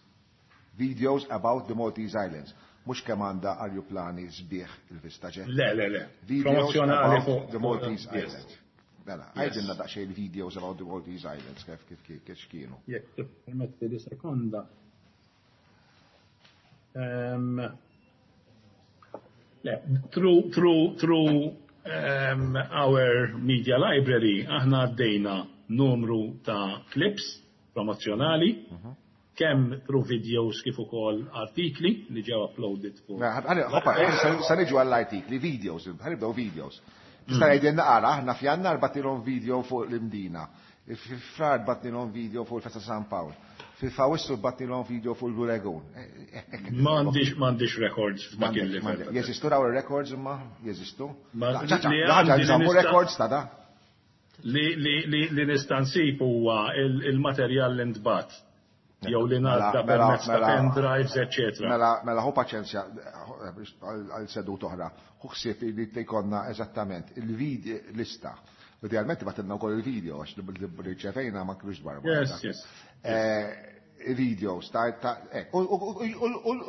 Videos about the Maltese Islands. Mhux kemm għandha arjuplani sbieħ il-VistaJet. Le, le, le. Videos about the Maltese Islands. Mela, għajdilna daqsxejn il-videos about the Maltese Islands, kif kienu. Jekk permetti li sekonda. Le, through our media library, aħna għaddejna numru ta' clips promozjonali, kemm through videos kif ukoll artikli li ġew uploaded fuq. Hoppa, sa niġu għall-artikli, videos, ħa nibdew videos. Tista' jgħidilna qara, aħna f'Jannar bgħattilhom video fuq l-Imdina, fi Frar bgħattilhom video fuq il-Festa San Pawl, fi Awwissu bgħattilhom video fuq il-Blue Lagoon. M'għandix records f'dak il-level. Jeżistu daw il-records imma? Jeżistu? Ħaġa nżammu records ta' da? Li nista' nsib huwa il-materjal li ntbagħat jew li ngħadda permezz ta' pendrives, eccetera. Mela, mela, ħu paċenzja għal sedut oħra. Ħu ħsieb li jkollna eżattament il-video lista. Idealment bagħtilna wkoll il-video għax li rċevejna ma kienux dwar. Yes. Videos ta' u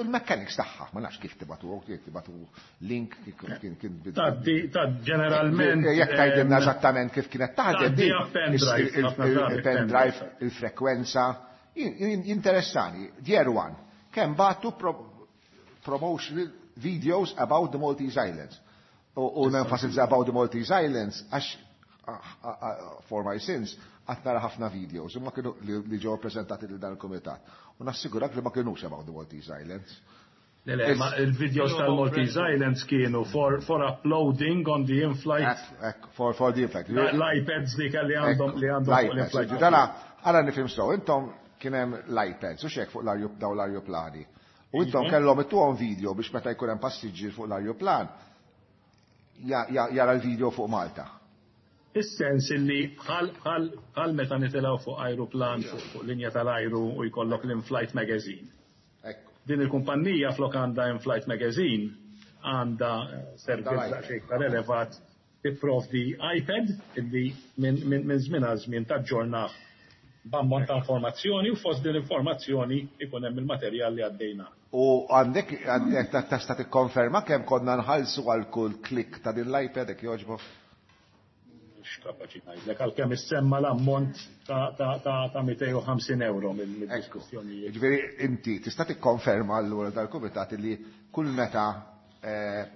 l-mechanics tagħha, ma nafx kif tibagħtu, kif tibagħtu link kien Ta' ġeneralment. Jekk tgħidilna eżattament kif kienet taħdem il- pendrive, il-frekwenza, jinteressani. Year one, kemm bagħtu promotional videos about the Maltese Islands. U nenfasizza about the Maltese Islands għax for my sins għad nara ħafna videos imma kienu li ġew prezentati lil dan il-komitat. U nassigurak li ma kienux about the Maltese Islands. Le, ma il-videos tal-Maltese Islands kienu for uploading on the in-flight. For the in-flight. L-iPads li kelli għandhom li għandhom fuq l-in-flight. Dana, għara nifhem sew, intom kien hemm l-iPads u xek fuq daw l-arjuplani. U intom kellhom ittuhom video biex meta jkun hemm passiġġier fuq l-arjuplan jara l-video fuq Malta. Is-sens illi bħal meta nitilgħu fuq aeroplan fuq linja tal-ajru u jkollok l-in-flight magazine. Din il-kumpanija flok għandha in-flight magazine għandha servizz daqsxejn iktar elevat, tipprovdi iPad illi minn żmien għal żmien taġġornah b'ammont ta' informazzjoni u fost din l-informazzjoni ikun hemm il-materjal li għaddejna. U għandek għandek tista' tikkonferma kemm konna nħallsu għal kull klik ta' din l-iPad, jekk jogħġbok? Mhux kapaċi ngħidlek, għalkemm issemma l-ammont ta' 250 euro mill-diskussjonijiet. Ġifieri inti tista' tikkonferma allura dal-kumitat li kull meta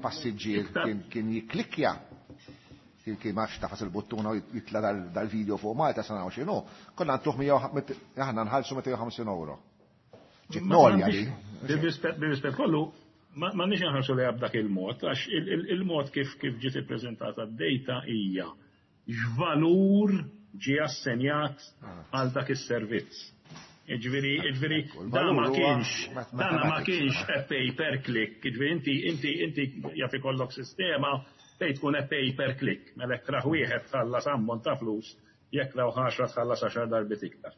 passiġġier kien jikklikkja, kien ma tafas il-buttuna u jitla dal-video fuq Malta sa nagħmlu x'inhu, konna ntuh aħna nħallsu 250 euro. Ġiet nolja li. Bir-rispett kollu, ma nix nħarsu li b'dak il-mod, għax il-mod kif ġiet ippreżentata d-data hija x'valur ġie assenjat għal dak is-servizz. Ġifieri, dan ma kienx, dan ma kienx a pay per click, ġifieri inti jaf ikollok sistema fejn tkun a pay per click, mela jekk raħ wieħed tħallas ammont ta' flus, jekk raw 10 tħallas 10 darbit iktar.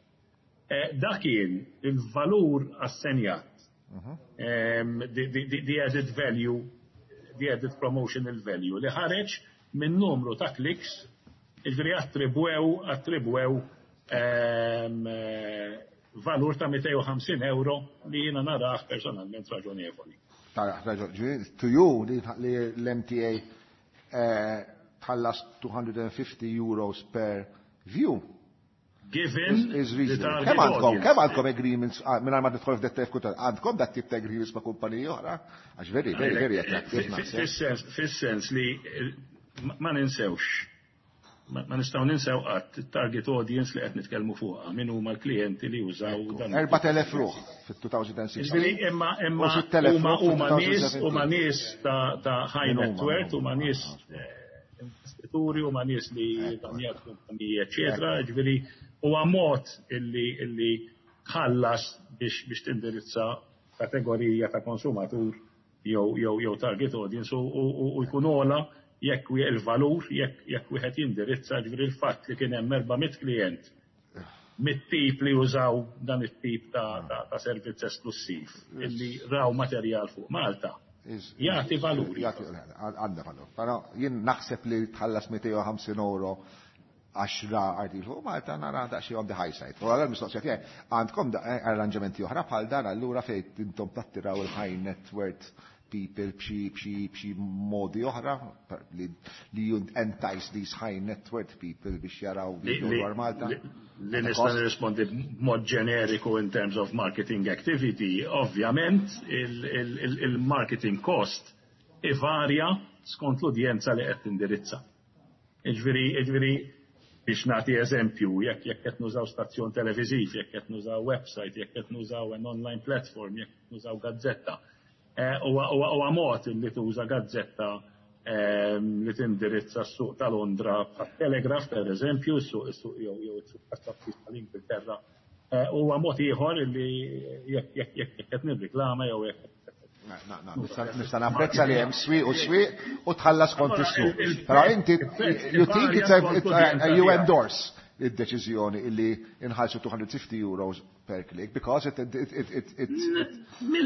Dak kien il-valur assenjat, the added value, the added promotional value li ħareġ minn numru ta' clicks, ġifieri attribwew valur ta' 250 euro li jiena narah personalment raġonevoli. Raġon, to you li l-MTA tħallas 250 euros per view. Given is the reasonable. target Kemm audience. għandkom agreements, minn ma tidħol f'dettaj f'kull, għandkom dat tip ta' agreements ma' kumpaniji oħra? Għax very, very, very attractive, naħseb. Fis-sens li ma ninsewx, ma nistgħu ninsew qatt it-target audience li qed nitkellmu fuqha, min huma l-klijenti li jużaw dan. 4,000 ruħ fit-2016. Ġifieri, imma U 6,000 ruħ huma nies, fit-2017. huma nies ta' high Min huma, net worth, min huma huma. nies investituri, huma nies li damjat kumpaniji, eċetera. Ġifieri huwa mod illi tħallas biex tindirizza kategorija ta' konsumatur jew target audience u jkun ogħla jekk il-valur, jekk wieħed jindirizza, ġifieri l-fatt li kien hemm 400 klient mit-tip li jużaw dan it-tip ta' servizz esklusiv illi raw materjal fuq Malta. Jagħti valur. Jagħti, għandha valur. Però jien naħseb li tħallas 250 euro għax ra artiklu fuq Malta nara daqsxejn on the high side. U għal mistoqsija tiegħi, għandkom arranġamenti oħra bħal dan allura fejn intom tattiraw il-high net worth people b'xi modi oħra li you entice these high net worth people biex jaraw video dwar Malta? Li nista' nirrispondi b'mod ġeneriku in terms of marketing activity, ovvjament il-marketing cost ivarja skont l-udjenza li qed tindirizza. Ġifieri biex nagħti eżempju, jekk qed nużaw stazzjon televiżiv, jekk qed nużaw website, jekk qed nużaw an online platform, jekk qed nużaw gazzetta. Huwa mod li tuża gazzetta li tindirizza s-suq ta' Londra bħat-Telegraph, per eżempju, s-suq jew s-suq tal-Ingilterra. Huwa mod ieħor li jekk qed nirriklama jew jekk Na, nista' napprezza li hemm swieq u swieq u tħallas kont is-suq. Però inti, you think it's a, Il-prezz it, you varja. endorse id-deċiżjoni illi inħallsu 250 euros per click because it, it, it, it, it, it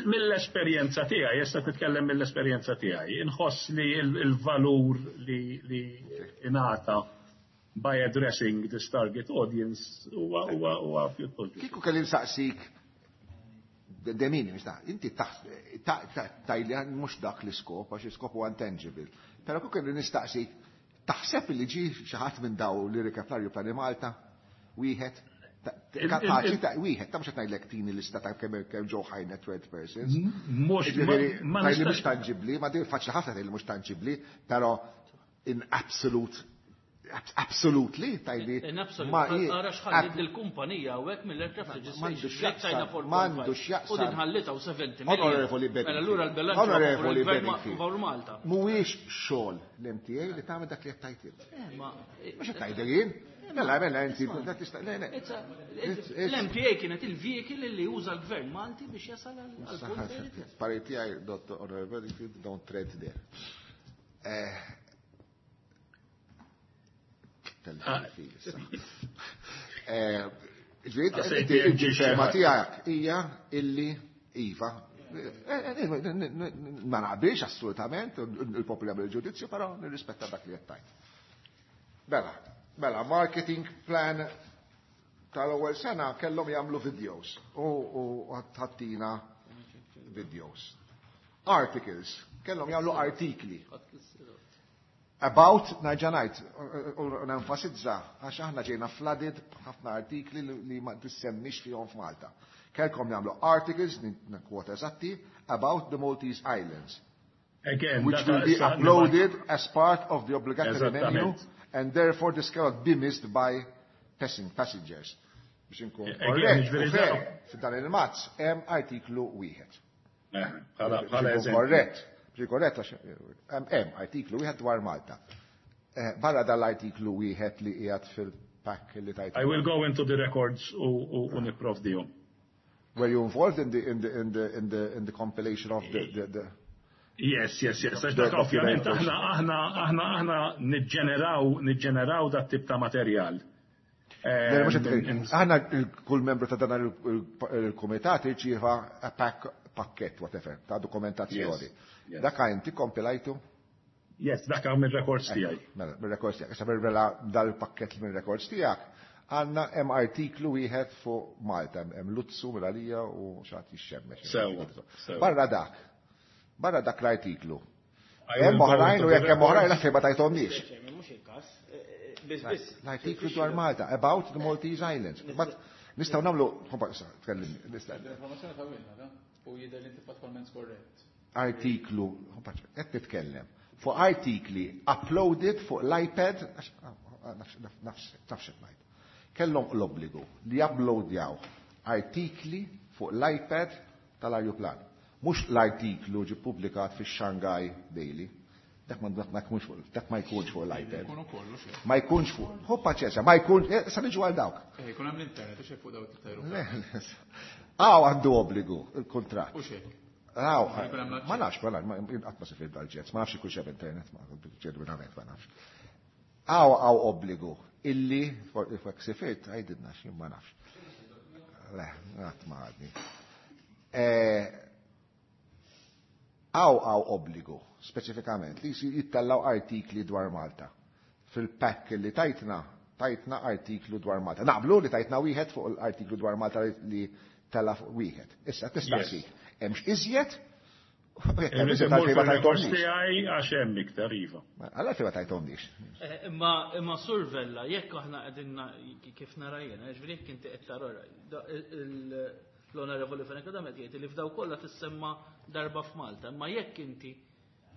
Mill-esperjenza tiegħi, issa titkellem mill-esperjenza tiegħi, inħoss li il-valur li ingħata by addressing this target audience huwa pjuttost. Kieku kelli nsaqsik de minimis, inti tajli mhux dak l-iskop, għax l-iskop huwa intangible. Però kieku kelli nistaqsik, taħseb li ġi xi ħadd minn daw li rikeb l-ajruplan Malta, wieħed, kapaċi ta' wieħed, ta' mhux qed ngħidlek tini lista ta' kemm ġew high net worth persons. Mhux Ġifieri, ma tajli nistax mhux tangibbli, ma din faċli ħafna tgħidli mhux tangibbli, però in absolute, absolutely, tajli In absolute, ma ara x'ħallit il-kumpanija hawnhekk mill-aircraft M'għandu registration. x'jaqsam, Jekk tajna four m'għandu point five. x'jaqsam. U din ħallita u 70 million. Onorevoli Bedingfield. Mela allura l-bilanċ Onorevoli favur il-gvern Bedingfield. favur Malta. Mhuwiex xogħol l-MTA li tagħmel dak li qed tgħid int. Mhux qed tgħidel jien. Mela, mela, inti, dak tista' le, le. L-MTA kienet il-vehicle li uża l-gvern Malti biex jasal għal punt fejn irid jasal. Parir tiegħi, Dottor Onorevoli Bedingfield, don't tread there. Ġifieri, Għasejt inti jien ġie il-ġerma xi ħadd. tiegħek hija illi iva. Ma naqbilx assolutament, il-popoli għamel il-ġudizzju, però nirrispetta dak li qed tgħid. Mela, mela, marketing plan tal-ewwel sena kellhom jagħmlu videos u ħattina videos. Articles, kellhom jagħmlu artikli. About, nerġa' ngħid, u nenfasizza, għax aħna ġejna flooded b'ħafna artikli li ma tissemmix fihom f'Malta. Kellkom jagħmlu articles, kwota eżatti, about the Maltese Islands. Again, which will be uploaded as part of the obligatory menu and therefore this cannot be missed by passengers. Biex inkun korrett, f'dan il-mazz hemm artiklu wieħed. Bħala eżempju. Korrett, biex korrett hemm artiklu wieħed dwar Malta. Barra dal-artiklu wieħed li qiegħed fil-pack li tajt. I will go into the records u nipprovdihom. Were you involved in the in the in the in the in the compilation of the Yes. Għax dak ovvjament aħna niġġeneraw dat tip ta' materjal. Aħna kull membru ta' dan il-kumitat irċieva pakkett, whatever, ta' dokumentazzjoni. Dak inti kompilajtu? Yes, dak mir-records tiegħi. Mela, mir-records tiegħek. Issa mela dal-pakkett mir-records tiegħek għandna hemm artiklu wieħed fuq Malta, hemm Luzzu mill-għalija u xi ħadd jixxemmex. Barra dak. Barra dak l-artiklu. Hemm oħrajn u jekk hemm oħrajn l ma tajthomniex. Mhux il-każ. Biss biss. L-artiklu dwar Malta, about the Maltese Islands. Nistgħu nagħmlu, tkellimni, nistgħu. L-informazzjoni tawilna, u jidher li inti fattwalment skorrett. Artiklu, qed nitkellem fuq artikli uploaded fuq l-iPad, nafx ngħid. Kellhom l-obbligu li uploadjaw artikli fuq l-iPad tal-ajruplan. Mhux l-artiklu ġi publikat fi Shanghai Daily. Dak ma dak ma jkunx fuq l-iPad. Ma jkunx fuq. Hu paċenzja, ma jkunx, sa niġu għal dawk. Jkun hemm l-internet u fuq dawk it-tajru. Għaw għandu obbligu il-kuntratt. U xek. Għaw, ma nafx, ma nafx, qatt ma sifirt dal-jets, ma nafx ikun hemm internet, ma ġenwinament ma nafx. Għaw obbligu illi, fuq sifirt, għajdidna xi ma nafx. Le, qatt ma għadni. Għaw obbligu, speċifikament, li jittallaw artikli dwar Malta. Fil-pack li tajtna, tajtna artiklu dwar Malta. Naqblu li tajtna wieħed fuq l-artiklu dwar Malta li tella fuq wieħed. Issa tistaqsik, hemmx iżjed? Tiegħi għax hemm iktar iva. Għalla fejn ma tajthomniex. Imma Sur Vella, jekk aħna qegħdin kif nara jiena, ġifieri jekk inti qed tara l-Onorevoli Fenech Adami jgħid li f'daw kollha tissemma darba f'Malta, imma jekk inti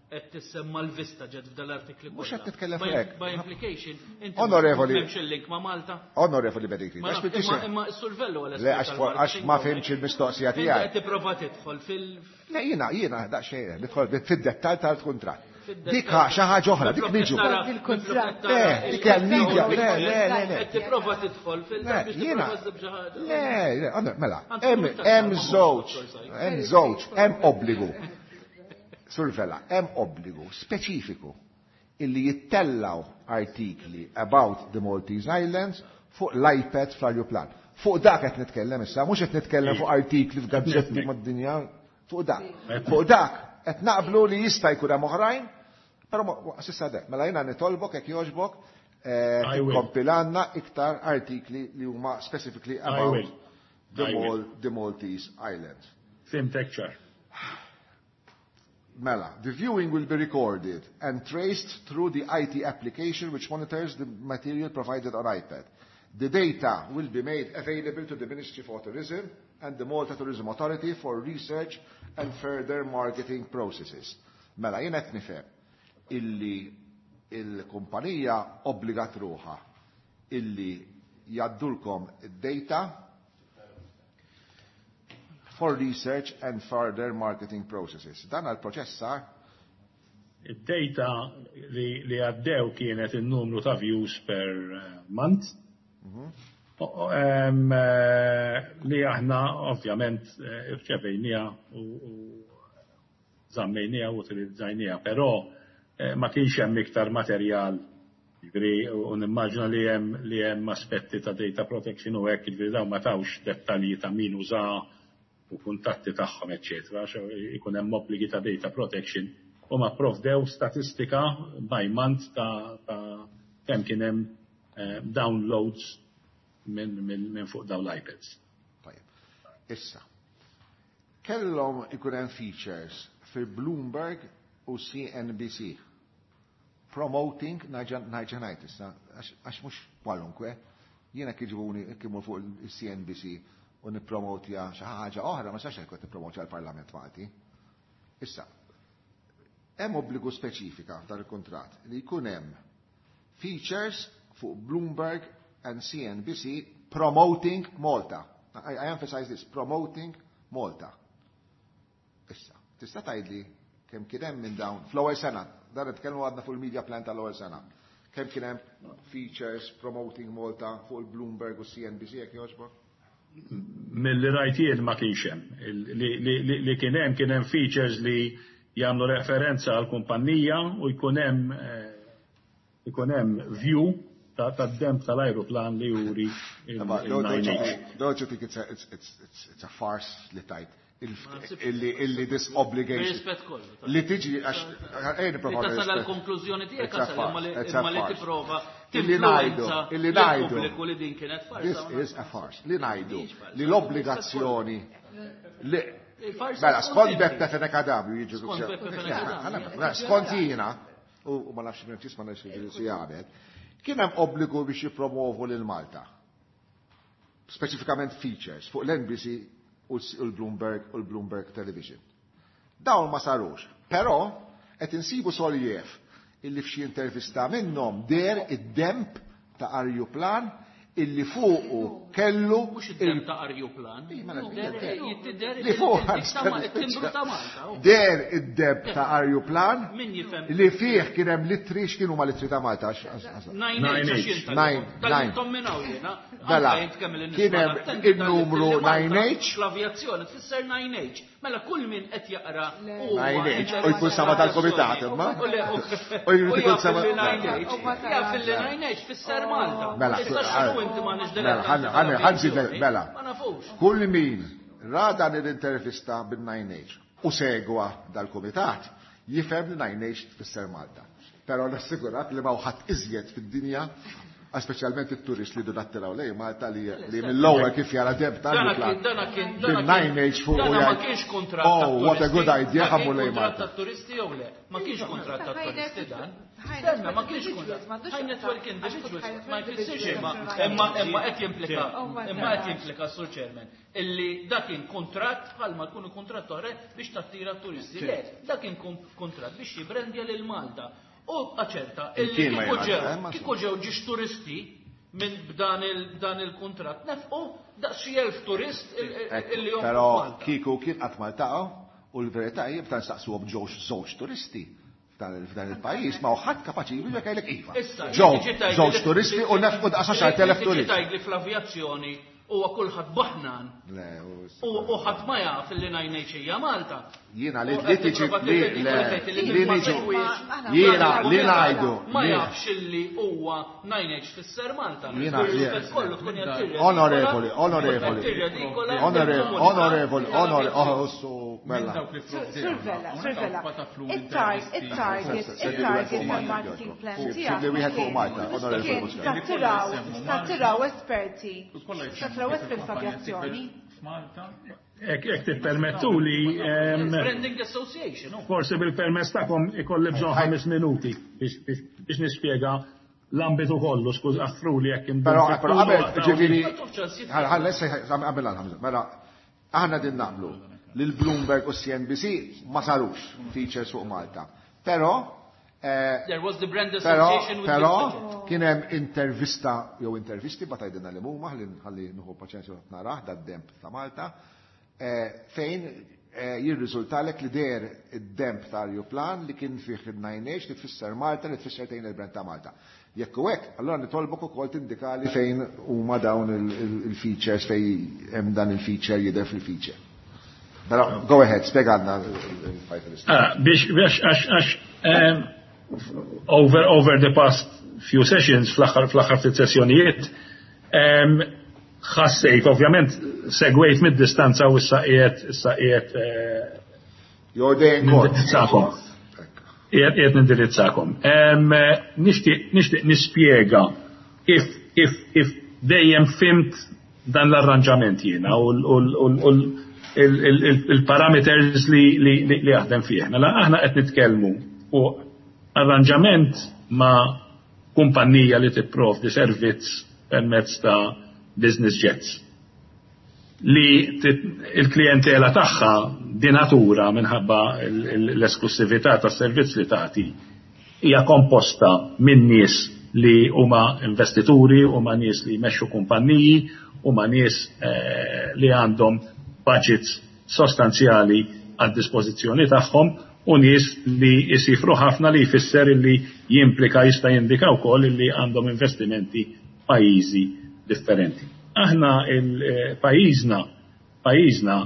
qed tissemma l-vista ġed f'dal-artikli Mhux qed titkellem fuq hekk. By implication, inti Onorevoli. m'hemmx il-link ma' Malta. Onorevoli Bedingfield. Imma s-Sur Vella għal Le, għax ma fhimx il-mistoqsija tiegħek. Qed tipprova tidħol fil- Le, jiena daqsxejn, nidħol fid-dettall tal-kuntratt. Dik xi ħaġa oħra, dik niġu. Il-kuntratt. Le, dik hija l-media. Le, le, le, le. Qed tipprova tidħol fil- Le, jiena. Le, le, mela, hemm żewġ, hemm żewġ, hemm obbligu. Sur Vella, hemm obbligu speċifiku illi jittellaw artikli about the Maltese Islands fuq l-iPad fl-ajruplan. Fuq dak qed nitkellem issa, mhux qed nitkellem fuq artikli f'gazzetti mad-dinja, fuq dak. Fuq dak qed naqblu li jista' jkun hemm oħrajn, però s'issa dek. Mela jiena nitolbok jekk jogħġbok tikkompilanna iktar artikli li huma specifically about the Maltese Islands. Fhimtek ċar. Mela, the viewing will be recorded and traced through the IT application which monitors the material provided on iPad. The data will be made available to the Ministry for Tourism and the Malta Tourism Authority for research and further marketing processes. Mela, jien qed nifhem illi il-kumpanija obbligat ruħha illi jaddulkom id-data for research and further marketing processes. Dan għal-proċess sar? Id-data li għaddew kienet il-numru ta' views per month. Li aħna ovvjament irċevejnija u żammejnija u utilizzajnija, però ma kienx hemm iktar materjal, jiġifieri, u nimmaġina li hemm aspetti ta' data protection u hekk, jiġifieri dawn ma tawx dettalji ta' min uża u kuntatti tagħhom, eċċetera, għax ikun hemm obbligi ta' data protection u ma provdew statistika by month ta' kemm kien hemm downloads minn fuq dawn l-iPads. Tajjeb. Issa, Kellhom ikun hemm features fil-Bloomberg u CNBC promoting nerġa' ngħid issa għax mhux kwalunkwe. Jiena kiġbuni kimmur fuq il-CNBC u nippromotja xi ħaġa oħra, ma sax qed nippromotja l-Parlament Malti. Issa, hemm obbligu speċifika f'dan il-kuntratt li jkun hemm features fuq Bloomberg and CNBC promoting Malta. I emphasize this, promoting Malta. Issa, tista' tgħidli kemm kien hemm minn dawn fl-ewwel sena, dan nitkellmu għadna fuq il-media plan tal-ewwel sena. Kemm kien hemm features promoting Malta fuq il-Bloomberg u CNBC, jekk jogħġbok? Milli rajt jien ma kienx hemm. Li kien hemm features li jagħmlu referenza għal kumpanija u jkun hemm view tad-demb tal-ajruplan li juri. Don't you think it's a farce li tajt illi this obligation li tiġi għax nipprova tasal għal-konklużjoni tiegħek imma li tipprova Illi ngħidu li din kienet farsa. This is a farce. Li ngħidu li l-obbligazzjoni li mela, skont Beppe Fenech Adami jiġu skont jiena u ma nafx minn ma nafx si jagħmel, kien hemm obbligu biex jippromovu lil Malta. Speċifikament features fuq l-NBC u l-Bloomberg u l-Bloomberg Television. Dawn ma sarux, però qed insibu soljef illi f'xi intervista minnhom deher id-demb ta' arjuplan illi fuqu kellu Mhux id-demb ta' arjuplan. Li fuq deher id-demb ta' arjuplan li fih kien hemm l-ittri. X'kienu ma l-ittri ta' Malta? Nine. Mela, kien hemm il-numru 9H. L-avjazzjoni tfisser 9H. Mela kull min qed jaqra 9H u jkun sama tal-komitat imma. U jrid ikun sama jaf li 9H tfisser Malta. Mela, Issa x'inhu inti ma mela, ħanżid mela. Ma nafux. Kull min ra dan l-intervista bil-9H u segwa dal-komitat jifhem li 9H tfisser Malta. Però nassigurak li ma ħadd iżjed fid-dinja, speċjalment it-turist li nattiraw lejn Malta, li mill-ewwel kif jara demb tal bil-9H fuq u ma kienx kuntratt. "Oh, what a good idea, ħa mmur lejn Malta." Turisti jew le? Ma kienx kuntratt ta' turisti dan. Stenna, ma kienx kuntratt. High net worth individuals ma jfissirx imma qed jimplika, Sur Chairman, illi dak kien kuntratt bħalma jkunu kuntratt oħra biex tattira turisti. Le, dak kien kuntratt biex jibrendja lil Malta. U aċerta, illi kieku ġew ġiex turisti minn b'dan il-kuntratt nefqu daqs xi 1000 turist illi jom. Però kieku kien qatt Malta u l-verità hija b'tan saqsuhom ġewx żewġ turisti f'dan il-pajjiż, ma ħadd kapaċi jgħidlek jgħidlek iva. Ġew żewġ turisti u nefqu daqs 10,000 turist. Tgħidli fl-avjazzjoni huwa kulħadd baħnan. U ħadd ma jaf li 9H hija Malta. Jiena li tiġi li niġu jiena li ngħidu. Ma jafx li huwa 9H tfisser Malta. Jiena onorevoli, onorevoli, onorevoli, onorevoli, oh, mela. Sur Vella, Sur Vella, il-target tal-marketing plan tiegħek. Li wieħed fuq Malta, onorevoli. Tattiraw esperti, tattiraw esperti f'avjazzjoni. Jekk tippermettu li Branding Association. Forsi bil-permess tagħkom ikolli bżonn 5 minuti biex nispjega l-ambitu kollu, skuż aħfruli jekk Però qabel, ġifieri, qabel għal mela, aħna din naqblu li l-Bloomberg u CNBC ma sarux features fuq Malta. Però There was the brand association with Però kien hemm intervista jew intervisti ba tgħidilna li huma, ħalli nieħu paċenzja narah dad-demb ta' Malta, fejn jirriżultalek li deher id-demb ta' arjuplan li kien fih il-9H li tfisser Malta, li tfisser tgħin il-brand ta' Malta. Jekk u hekk, allora nitolbok ukoll tindikali fejn huma dawn il-features, fejn hemm dan il-feature jidher fil-feature. Però go ahead, spjegalna il-fajt. Ah, biex għax over the past few sessions, fl-aħħar ftit sessjonijiet, ħassejt, ovvjament, segwejt mid-distanza u issa qiegħed nindirizzakom. Qiegħed nindirizzakom. Nixtieq nispjega kif dejjem fhimt dan l-arranġament jiena u Il-parameters li jaħdem fih. Mela aħna qed nitkellmu fuq arranġament ma' kumpanija li tipprovdi servizz permezz ta' business jets li il-klijentela tagħha di natura, minħabba l-esklusività tas-servizz li tagħti, hija komposta minn nies li huma investituri, huma nies li jmexxu kumpanniji, huma nies li għandhom budgets sostanzjali għad dispożizzjoni tagħhom u nies li jisifru ħafna, li jfisser li jimplika, jista' jindika wkoll li għandhom investimenti pajjiżi differenti. Aħna il-pajjiżna pajjiżna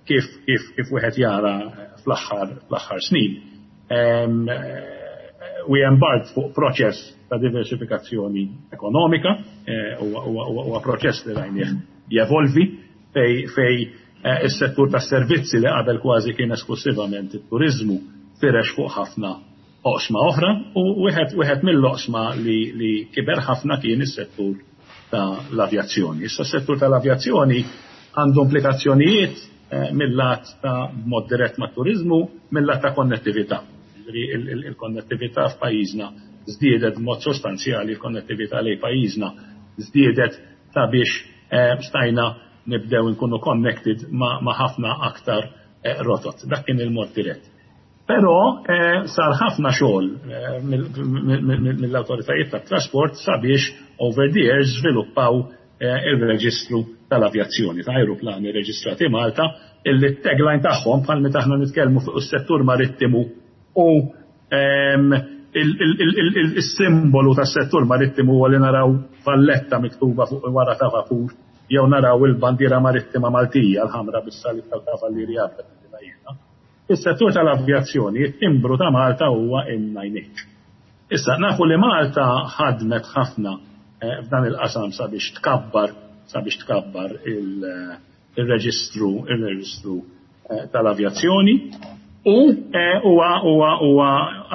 kif wieħed jara fl-aħħar snin, we embarked fuq proċess ta' diversifikazzjoni ekonomika, huwa proċess li rajnieh jevolvi fej is-settur tas-servizzi, li qabel kważi kien esklusivament it-turizmu, firex fuq ħafna oqsma oħra, u wieħed mill-oqsma li kiber ħafna kien is-settur ta' l-avjazzjoni. Issa s-settur tal-avjazzjoni għandu implikazzjonijiet mill-lat ta' mod dirett ma' turizmu, mill-lat ta' konnettività. Il-konnettività f'pajjiżna żdiedet b'mod sostanzjali, il-konnettività lejn pajjiżna żdiedet sabiex stajna nibdew nkunu connected ma' ħafna aktar rotot. Dak kien il-mod dirett. Però sar ħafna xogħol mill-awtoritajiet tat-trasport sabiex over the years żviluppaw il-reġistru tal-avjazzjoni ta' aeroplani reġistrati Malta, illi tagline tagħhom, bħal meta aħna nitkellmu fuq is-settur marittimu u il-simbolu tas-settur marittimu huwa li naraw Valletta miktuba fuq wara ta' vapur jew naraw il-bandiera marittima Maltija, l-ħamra bis-salib tal-Kavallieri. Is-settur tal-avjazzjoni, it-timbru ta' Malta huwa in-9H. Issa, nafu li Malta ħadmet ħafna f'dan il-qasam sabiex tkabbar il-reġistru tal-avjazzjoni u huwa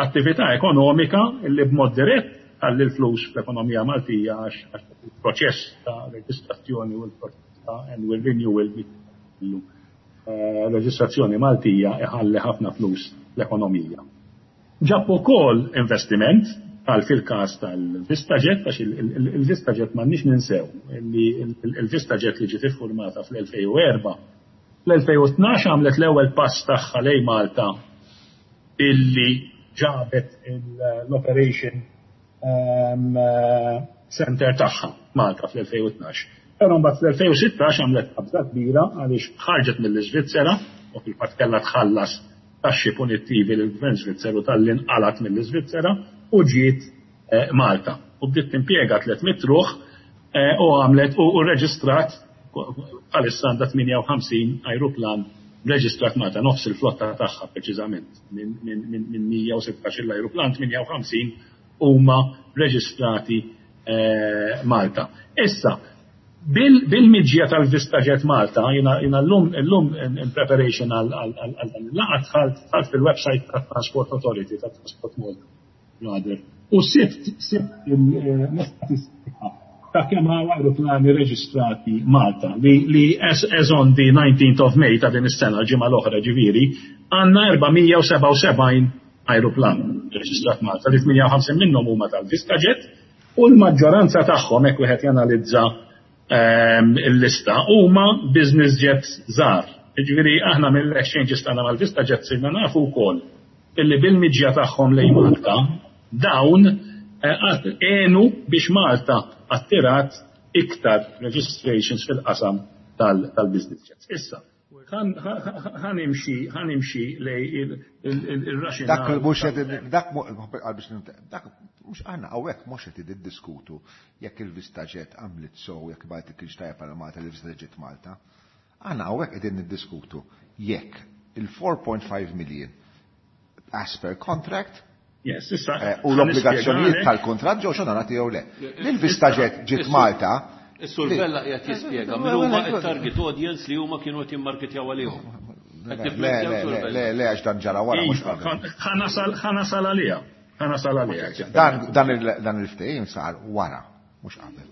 attività ekonomika li b'mod dirett tħalli l-flus fl-ekonomija Maltija, għax il-proċess ta' reġistrazzjoni u l-proċess ta' annual renewal, reġistrazzjoni Maltija, iħalli ħafna flus l-ekonomija. Ġab ukoll investiment għal fil-każ tal-VistaJet, għax il-VistaJet, m'għandniex ninsew li il-VistaJet li ġiet iffurmata fl-2004, fl-2012 għamlet l-ewwel pass tagħha lejn Malta illi ġabet l-operation center tagħha Malta fl-2012. Però mbagħad fl-2016 għamlet qabża kbira għaliex ħarġet mill-Iżvizzera u fil-fatt kellha tħallas taxxi punittivi lill-Gvern Svizzeru talli nqalgħet mill-Iżvizzera u ġiet Malta. U bdiet timpjega 300 ruħ u għamlet u reġistrat, bħalissa għandha 58 aeroplan reġistrat Malta, nofs il-flotta tagħha preċiżament, minn 116 l-aeroplan, 58 huma reġistrati Malta. Issa, bil-miġja tal-VistaJet Malta, jiena l-lum in preparation għal dan il-laqgħa dħalt fil-website ta' Transport Authority, ta' Transport Malta, rather, u sibt l-istatistika ta' kemm hawn aeroplani reġistrati Malta li as on the 19th of May ta' din is-sena, l-ġimgħa l-oħra ġifieri, għandna 477 aeroplan reġistrat Malta, li 58 minnhom huma tal-VistaJet u l-maġġoranza tagħhom, hekk wieħed janalizza il-lista, huma business jets żgħar. Ġifieri aħna mill-exchanges tagħna mal-VistaJet sirna nafu wkoll illi bil-miġja tagħhom lejn Malta dawn għenu biex Malta attirat iktar registrations fil-qasam tal-business jets. Issa, ħa nimxi lejn il-rationale. Dak mhux dak biex dak mhux aħna hawnhekk mhux qed niddiskutu jekk il-VistaJet għamlet so, jekk bajt kienx tajjeb għal Malta li VistaJet Malta. Aħna hawnhekk qegħdin niddiskutu jekk il-4.5 million as per contract Yes, issa. U l-obbligazzjonijiet tal-kontratt ġew onorati jew le. Il-VistaJet ġiet Malta. Is-Sur Vella qiegħed jispjega min huma t-target audience li huma kienu qed jimmarketjaw għalihom. Le, le, le, le, għax dan ġara wara, mhux qabel. Ħa nasal għalija. Ħa nasal għalija. Dan il-ftehim sar wara, mhux qabel.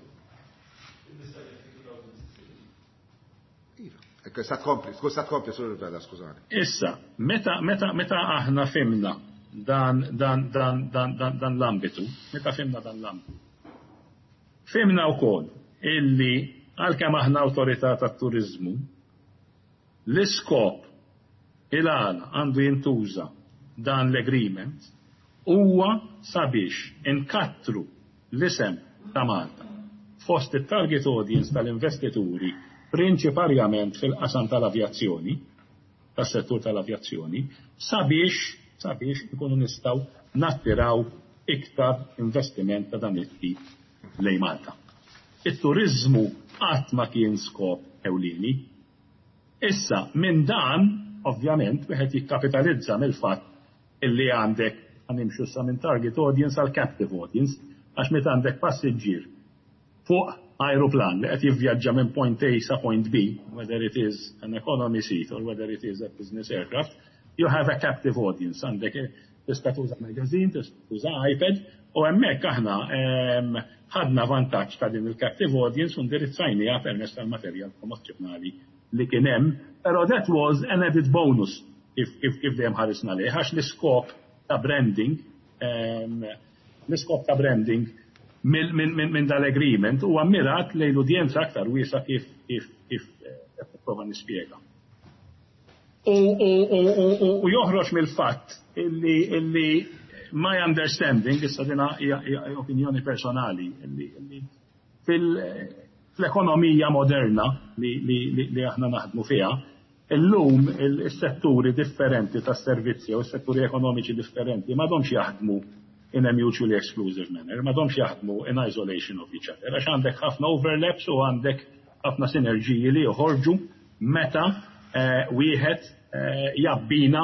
Iva. Issa tkompli, skuża tkompli sur Vella, skużani. Issa, meta meta meta aħna fimna dan dan dan dan dan dan l-ambitu, meta fimna dan l-ambitu. Fimna wkoll illi għalkemm aħna awtorità tat-turiżmu, l-iskop il-għala għandu jintuża dan l-agreement huwa sabiex inkattru l-isem ta' Malta fost it-target audience tal-investituri prinċiparjament fil-qasam tal-avjazzjoni, tas-settur tal-avjazzjoni, sabiex sabiex ikunu nistgħu nattiraw iktar investiment ta' dan it-tip lejn Malta. It-turiżmu qatt ma kien skop ewlieni. Issa, minn dan, ovvjament, wieħed jikkapitalizza mill-fatt illi għandek ħa nimxu sa minn target audience għal captive audience, għax meta għandek passiġġier fuq aeroplan li qed jivvjaġġa minn point A sa point B, whether it is an economy seat or whether it is a business aircraft, you have a captive audience. Għandek tista' tuża magazine, tista' tuża iPad, u hemmhekk aħna ħadna vantaġġ ta' din il-captive audience u ndirizzajniha permezz tal-materjal promozzjonali li kien hemm, però that was an added bonus kif kif kif dejjem ħarisna lejh, għax l-iskop ta' branding l-iskop ta' branding minn dal-agreement huwa mirat lejn l-udjenza aktar wiesa kif kif kif qed nipprova nispjega. U joħroġ mill-fatt illi illi my understanding, issa dina hija opinjoni personali, illi fil-ekonomija moderna li, li, li, li aħna naħdmu fiha, illum il-setturi differenti tas-servizzi u s-setturi ekonomiċi differenti m'għadhomx jaħdmu in a mutually exclusive manner, m'għadhomx jaħdmu in isolation of each other, għax għandek ħafna overlaps u għandek ħafna sinerġiji li joħorġu meta wieħed jabbina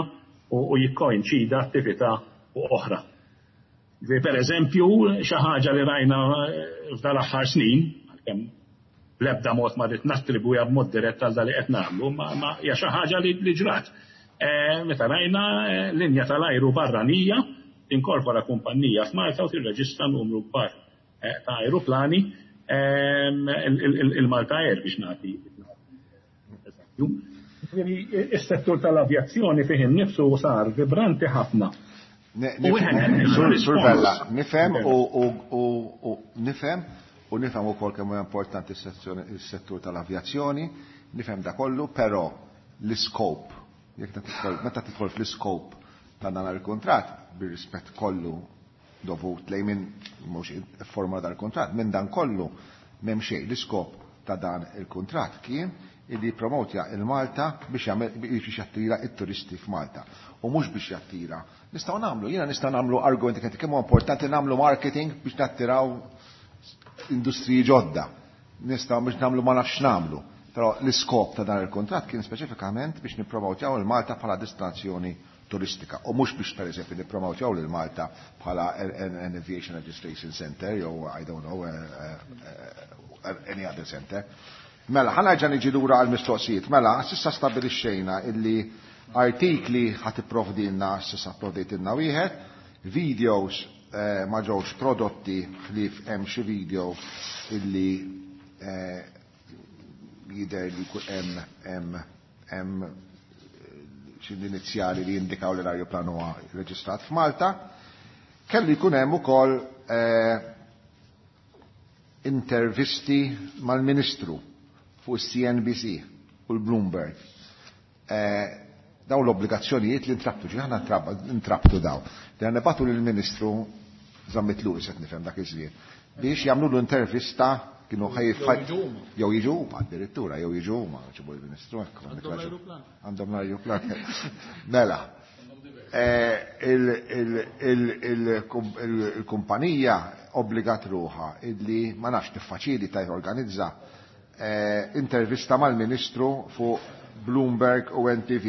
u jikkoinċida attività u oħra. Per eżempju, xi ħaġa li rajna f'dal-aħħar snin, għalkemm bl-ebda mod ma rrid nattribwiha b'mod dirett għal dak li qed nagħmlu, ma hija xi ħaġa li ġrat. Meta rajna linja tal-ajru barranija tinkorpora kumpanija f'Malta u tirreġistra numru kbar ta' ajruplani, il-Malta Air biex nagħti eżempju. Is-settur tal-avjazzjoni fih innifsu sar vibranti ħafna. Sur Vella, nifhem u nifhem u nifhem ukoll kemm huwa importanti s-settur tal-avjazzjoni, nifhem da kollu, però l-iskop, jekk meta tidħol fl-iskop ta' dan il-kuntratt, bir-rispett kollu dovut lejn min mhux forma dal-kuntratt, minn dan kollu m'hemm xejn. L-iskop ta' dan il-kuntratt kien illi jippromotja il-Malta biex jagħmel biex jattira it-turisti f'Malta. U mhux biex jattira. Nistgħu nagħmlu, jiena nista' nagħmlu argumenti kemm huwa importanti nagħmlu marketing biex nattiraw industriji ġodda. Nistgħu biex nagħmlu ma nafx nagħmlu. Però l-iskop ta' dan il-kuntratt kien speċifikament biex nippromotjaw il-Malta bħala destinazzjoni turistika u mhux biex pereżempju nippromotjaw lil Malta bħala an aviation registration center jew, I don't know, any other center. Mela, ħa nerġa' niġi lura għal mistoqsijiet. Mela, s'issa stabilixxejna illi artikli ħa tipprovdilna, s'issa pprovdejtilna wieħed, videos ma ġewx prodotti ħlief hemm xi video illi jidher li hemm hemm xi inizjali li jindikaw li l-ajruplan huwa reġistrat f'Malta. Kellu jkun hemm ukoll intervisti mal-Ministru fuq il-CNBC u l-Bloomberg. Daw l-obbligazzjonijiet li ntrabtu, ġi ħana ntrabtu daw. Li għandna nibagħtu lill-Ministru Zammit Lewis, qed nifhem dak iż-żmien, biex jagħmlu l-intervista kienu ħaj jew jiġu huma addirittura, jew jiġu huma ġibu l-Ministru hekk. Għandhom l-ajruplan. Mela, il-kumpanija obbligat ruħha illi ma nafx tiffaċilita jorganizza intervista mal-Ministru fuq Bloomberg u NTV.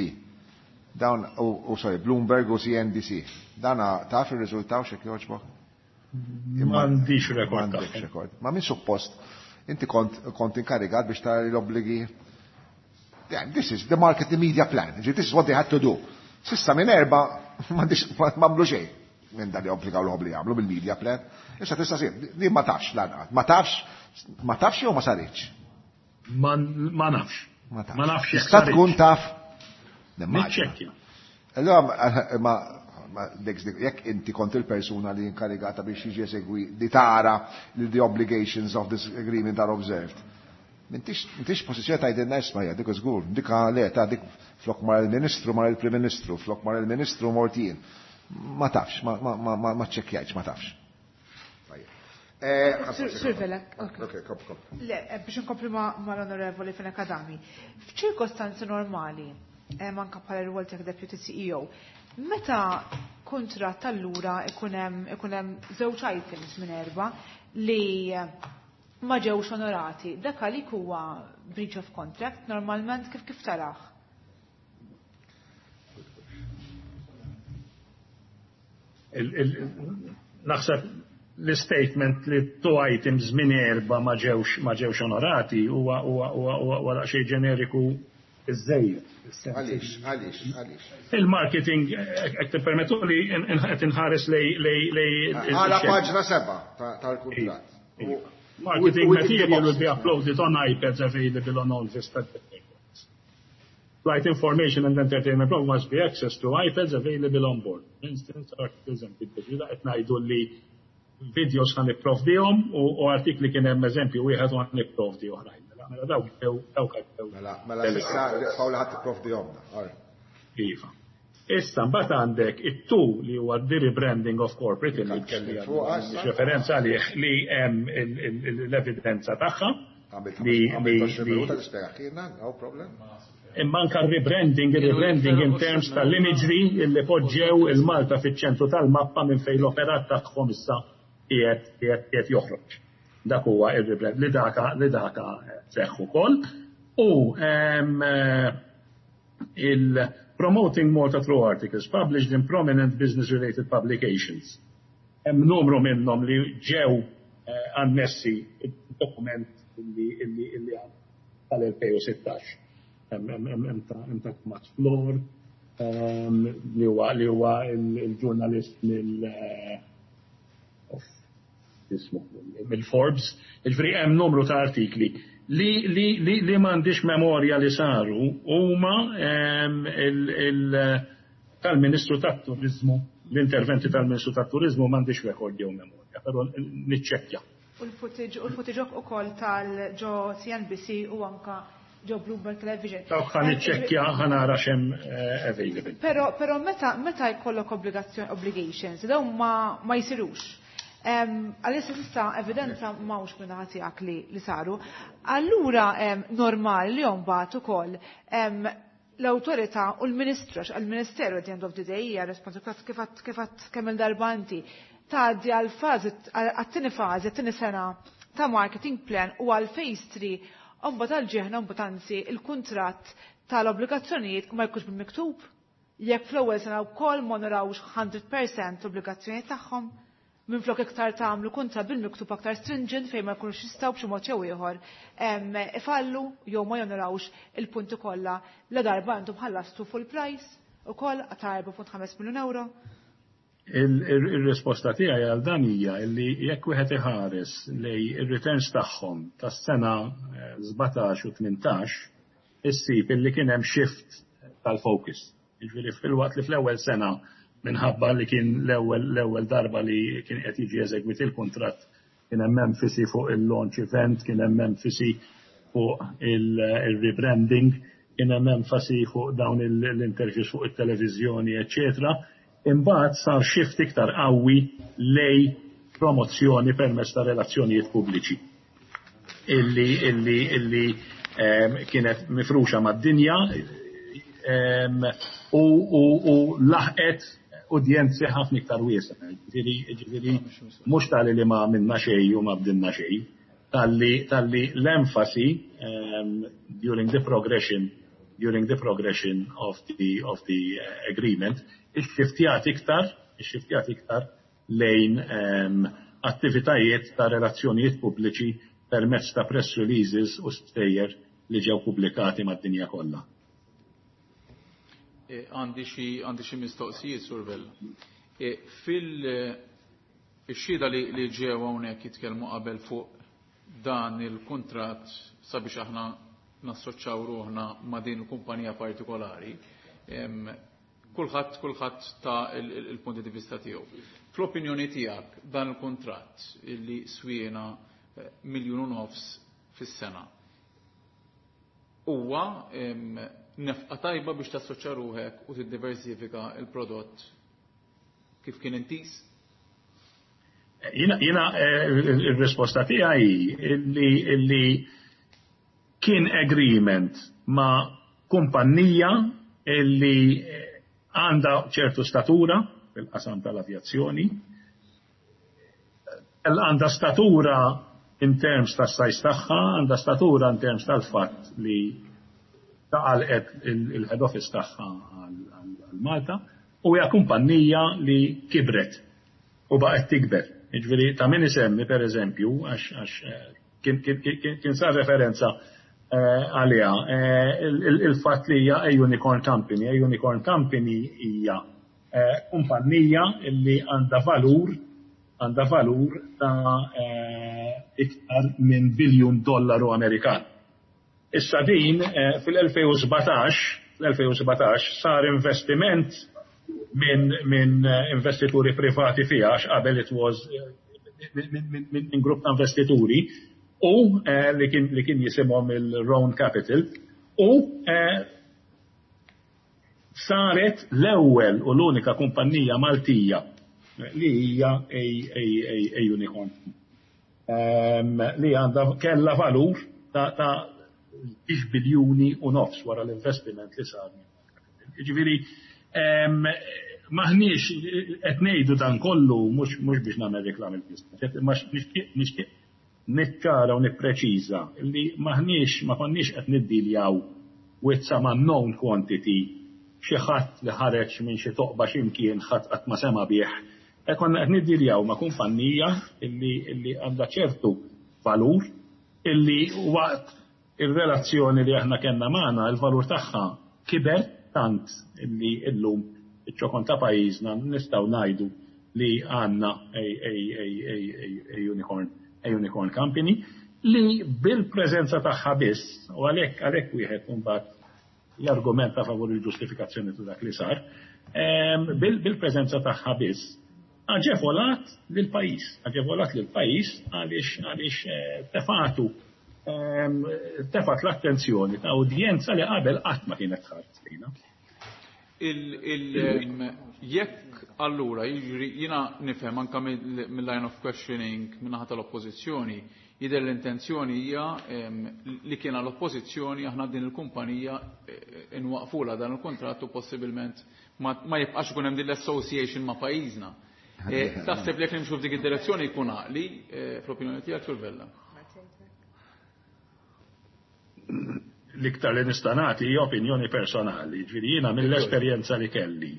Dawn u sorry, Bloomberg u CNBC. Dana taf ir-riżultaw x'hekk jogħġbok? M'għandix rekord. M'għandix rekord. Ma min suppost inti kont inkarigat biex tara l-obbligi. Yeah, this is the marketing media plan. This is what they had to do. S'issa minn 4 m'għandix m'għamlu xejn minn dan li obbligaw l-obbligu jagħmlu bil-media plan. Issa tista' sir, li ma tafx lanqas. Ma tafx, ma tafx jew ma saritx? Ma nafx. Ma tafx. Ma nafx jekk Tista' tkun saritx. taf. Nimmaġina. Niċċekkja. Allora, ma jekk inti kont il-persuna li inkarigata biex jiġi esegwi li tara li the obligations of this agreement are observed. M'intix pożizzjoni tgħidilna isma' hija dik żgur, dik le ta' dik flok mar il-Ministru mar il-Prim Ministru, flok mar il-Ministru mort jien. Ma tafx, ma ċċekkjajtx, ma tafx. Tajjeb. Sur Vella, ok. Ok, kop, kop. Le, biex nkompli mal-Onorevoli Fenech Adami. F'ċirkostanzi normali, anka bħala r-rwol tiegħek Deputy CEO, meta kuntratt allura ikun hemm żewġ items minn erba' li ma ġewx onorati, dak għalik huwa breach of contract, normalment kif taraħ? Naħseb l-statement li two items minn erba' ma ġewx onorati huwa daqsxejn ġeneriku iżżejjed. Għaliex, għaliex, għaliex? Il-marketing, hekk tippermettu li qed inħares lej Għala paġna 7 tal-kuntratt. Iva. Marketing material will be uploaded on iPads available on all Vista networks. Flight information and entertainment program must be accessed to iPads available on board. For instance, articles and videos. Ġida qed ngħidu li videos ħan nipprovdihom u artikli kien hemm eżempju wieħed u ħan nipprovdi oħrajn. Mela dawk ġew, dawk għaddew. Mela, mela s'issa Paola ħadd tipprovdihom. All right. Iva. Issa mbagħad għandek it-tu li huwa the rebranding of corporate li kelli Fuq għassa. referenza għalih li hemm l-evidenza tagħha. Għamilt għaxar minuta tispjega kienna, no problem. Imma anka il-rebranding in terms tal-imagery li poġġew il-Malta fiċ-ċentru tal-mappa minn fejn l-operat tagħhom issa qiegħed joħroġ. Dak huwa il-rebrand li daka seħħ ukoll. U il-Promoting Malta Through Articles published in prominent business-related publications. Hemm numru minnhom li ġew annessi id-dokument illi għam tal-2016. Hemm ta' Max Flor, li huwa il-ġurnalist mill-Forbes. Jiġifieri hemm numru ta' artikli li m'għandix memorja li saru huma tal-Ministru tat-Turiżmu, l-interventi tal-Ministru tat-Turiżmu m'għandix rekord jew memorja, però niċċekkja. U l-footage ukoll tal-ġo CNBC u anka ġo Bloomberg Television. Dawk ħa niċċekkja, ħa nara x'hemm available. Però meta jkollok obligations, dawn ma jsirux. Għalissa s'issa evidenza m'hawnx minn naħa tiegħek li saru. Allura normali li mbagħad ukoll l-awtorità u l-Ministru, għax il-Ministeru at the end of the day hija responsabilità kif għad kemm il-darba inti tgħaddi għal fażi, għat-tieni fażi, għat-tieni sena ta' marketing plan u għal phase 3, u mbagħad għal ġieħna mbagħad anzi il-kuntratt tal-obbligazzjonijiet ma jkunx bil-miktub. Jekk fl-ewwel sena wkoll ma narawx 100% l-obbligazzjonijiet tagħhom, minflok iktar tagħmlu kuntratt bil-miktub aktar stringent fejn ma jkunux jistgħu b'xi mod jew ieħor ifallu jew ma jonorawx il-punti kollha la darba intom ħallastu full price ukoll ta' 4.5 miljun euro. Il-risposta tiegħi għal dan hija li jekk wieħed iħares lej ir-returns tagħhom tas-sena 17 u 18, issib illi kien hemm shift tal-focus. Jiġifieri fil-waqt li fl-ewwel sena minħabba li kien l-ewwel darba li kien qed jiġi eżegwit il-kuntratt, kien hemm enfasi fuq il-launch event, kien hemm enfasi fuq il-rebranding, kien hemm enfasi fuq dawn l-interviews fuq it-televiżjoni, eċċetera. Imbagħad sar shift iktar qawwi lej promozzjoni permezz ta' relazzjonijiet pubbliċi illi kienet mifruxa mad-dinja u laħqet udjenzi ħafna iktar wiesgħa. Ġifieri mhux tali li ma għamilna xejn u ma bdilna xejn, talli l-enfasi during the progression, during the progression of the, of the agreement, ixxiftjat iktar, ixxiftjat iktar lejn attivitajiet ta' relazzjonijiet pubbliċi permezz ta' press releases u stejjer li ġew pubblikati mad-dinja kollha. Għandi xi mistoqsijiet, Sur Vella. Fil-xhieda li ġew hawnhekk jitkellmu qabel fuq dan il-kuntratt sabiex aħna nassoċċaw ruħna ma' din il-kumpanija partikolari, kulħadd kulħadd ta il-punti di vista tiegħu. Fl-opinjoni tiegħek dan il-kuntratt illi swiena 1.5 miljun fis-sena huwa nefqa tajba biex tassoċja ruħek u tiddiversifika il-prodott kif kien intiż? Jiena il-risposta tiegħi illi kien agreement ma' kumpanija illi għandha ċertu statura fil-qasam tal-avjazzjoni, għandha statura in terms ta' size tagħha, għandha statura in terms tal-fatt li taqalqet il-head office tagħha għal Malta u hija kumpanija li kibret u baqgħet tikber. Jiġifieri ta' min isemmi, per eżempju, għax kien sar referenza għaliha, il-fatt li hija a unicorn company. A unicorn company hija kumpanija li għandha valur ta' iktar minn biljun dollaru Amerikan. Issa din fil-2017, fl-2017 sar investiment minn investituri privati fiha, għax qabel it was minn grupp ta' investituri u li kien jisimhom il-Roan Capital u saret l-ewwel u l-unika kumpanija Maltija li hija a unicorn li għandha kella valur ta' 2.5 biljuni wara l-investiment li sar. Ġifieri, m'aħniex qed ngħidu dan kollu mhux biex nagħmel reklam il-business, imma nixtieq niċċara u nippreċiża li m'aħniex ma konniex qed niddiljaw with some unknown quantity, xi ħadd li ħareġ minn xi toqba x'imkien ħadd qatt ma sema bih. E konna qed niddiljaw ma' kumpanija illi għandha ċertu valur illi waqt il-relazzjoni li aħna kellna magħna il-valur tagħha kiber tant illi illum iċ-ċokon ta' pajjiżna nistgħu ngħidu li għandna a unicorn company li bil-preżenza tagħha biss, u għalhekk wieħed imbagħad jargumenta favur il-ġustifikazzjoni ta' dak li sar, bil-preżenza tagħha biss aġevolat lil-pajjiż, aġevolat lil-pajjiż għaliex tefatu tefat l-attenzjoni ta' udjenza li qabel qatt ma kienet tħares lejna. Jekk allura jiġri, jiena nifhem anka mill-line of questioning min-naħa tal-oppożizzjoni, jidher l-intenzjoni hija li kien għall-oppożizzjoni aħna din il-kumpanija inwaqfula dan il-kontrattu, possibilment ma jibqax ikun hemm din l-association ma' pajjiżna. Taħseb li jekk nimxu f'dik id-direzzjoni jkun għaqli fl-opinjoni tiegħek, Sur Vella? L-iktar li nista' nagħti hija opinjoni personali, ġifieri jiena mill-esperjenza li kelli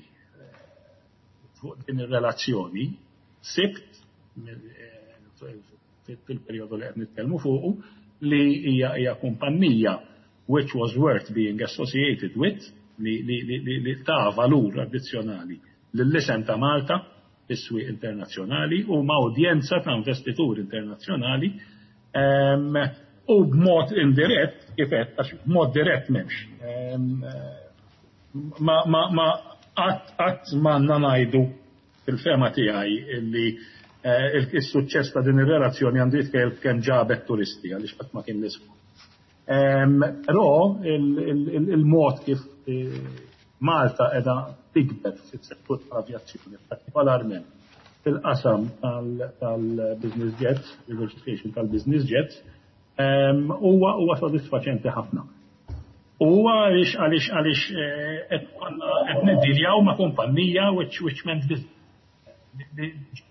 fuq din ir-relazzjoni sibt fil-perjodu li qed nitkellmu fuqu li hija kumpanija which was worth being associated with, li ta' valur addizzjonali lill-isem ta' Malta fis-swieq internazzjonali u ma' udjenza ta' investituri internazzjonali u b'mod indirett, kif qed, għax b'mod dirett m'hemmx. Ma qatt ma għandna ngħidu fil-fehma tiegħi illi il-suċċess ta' din ir-relazzjoni għandu jitkellem kemm ġabet turisti, għaliex qatt ma kien l-iskop. Però il-mod kif Malta qiegħda tikber fis-settur tal-avjazzjoni, partikolarment fil-qasam tal-business jets, diversification tal-business jets, huwa sodisfaċenti ħafna. U għaliex qed niddiljaw ma' kumpanija which meant business.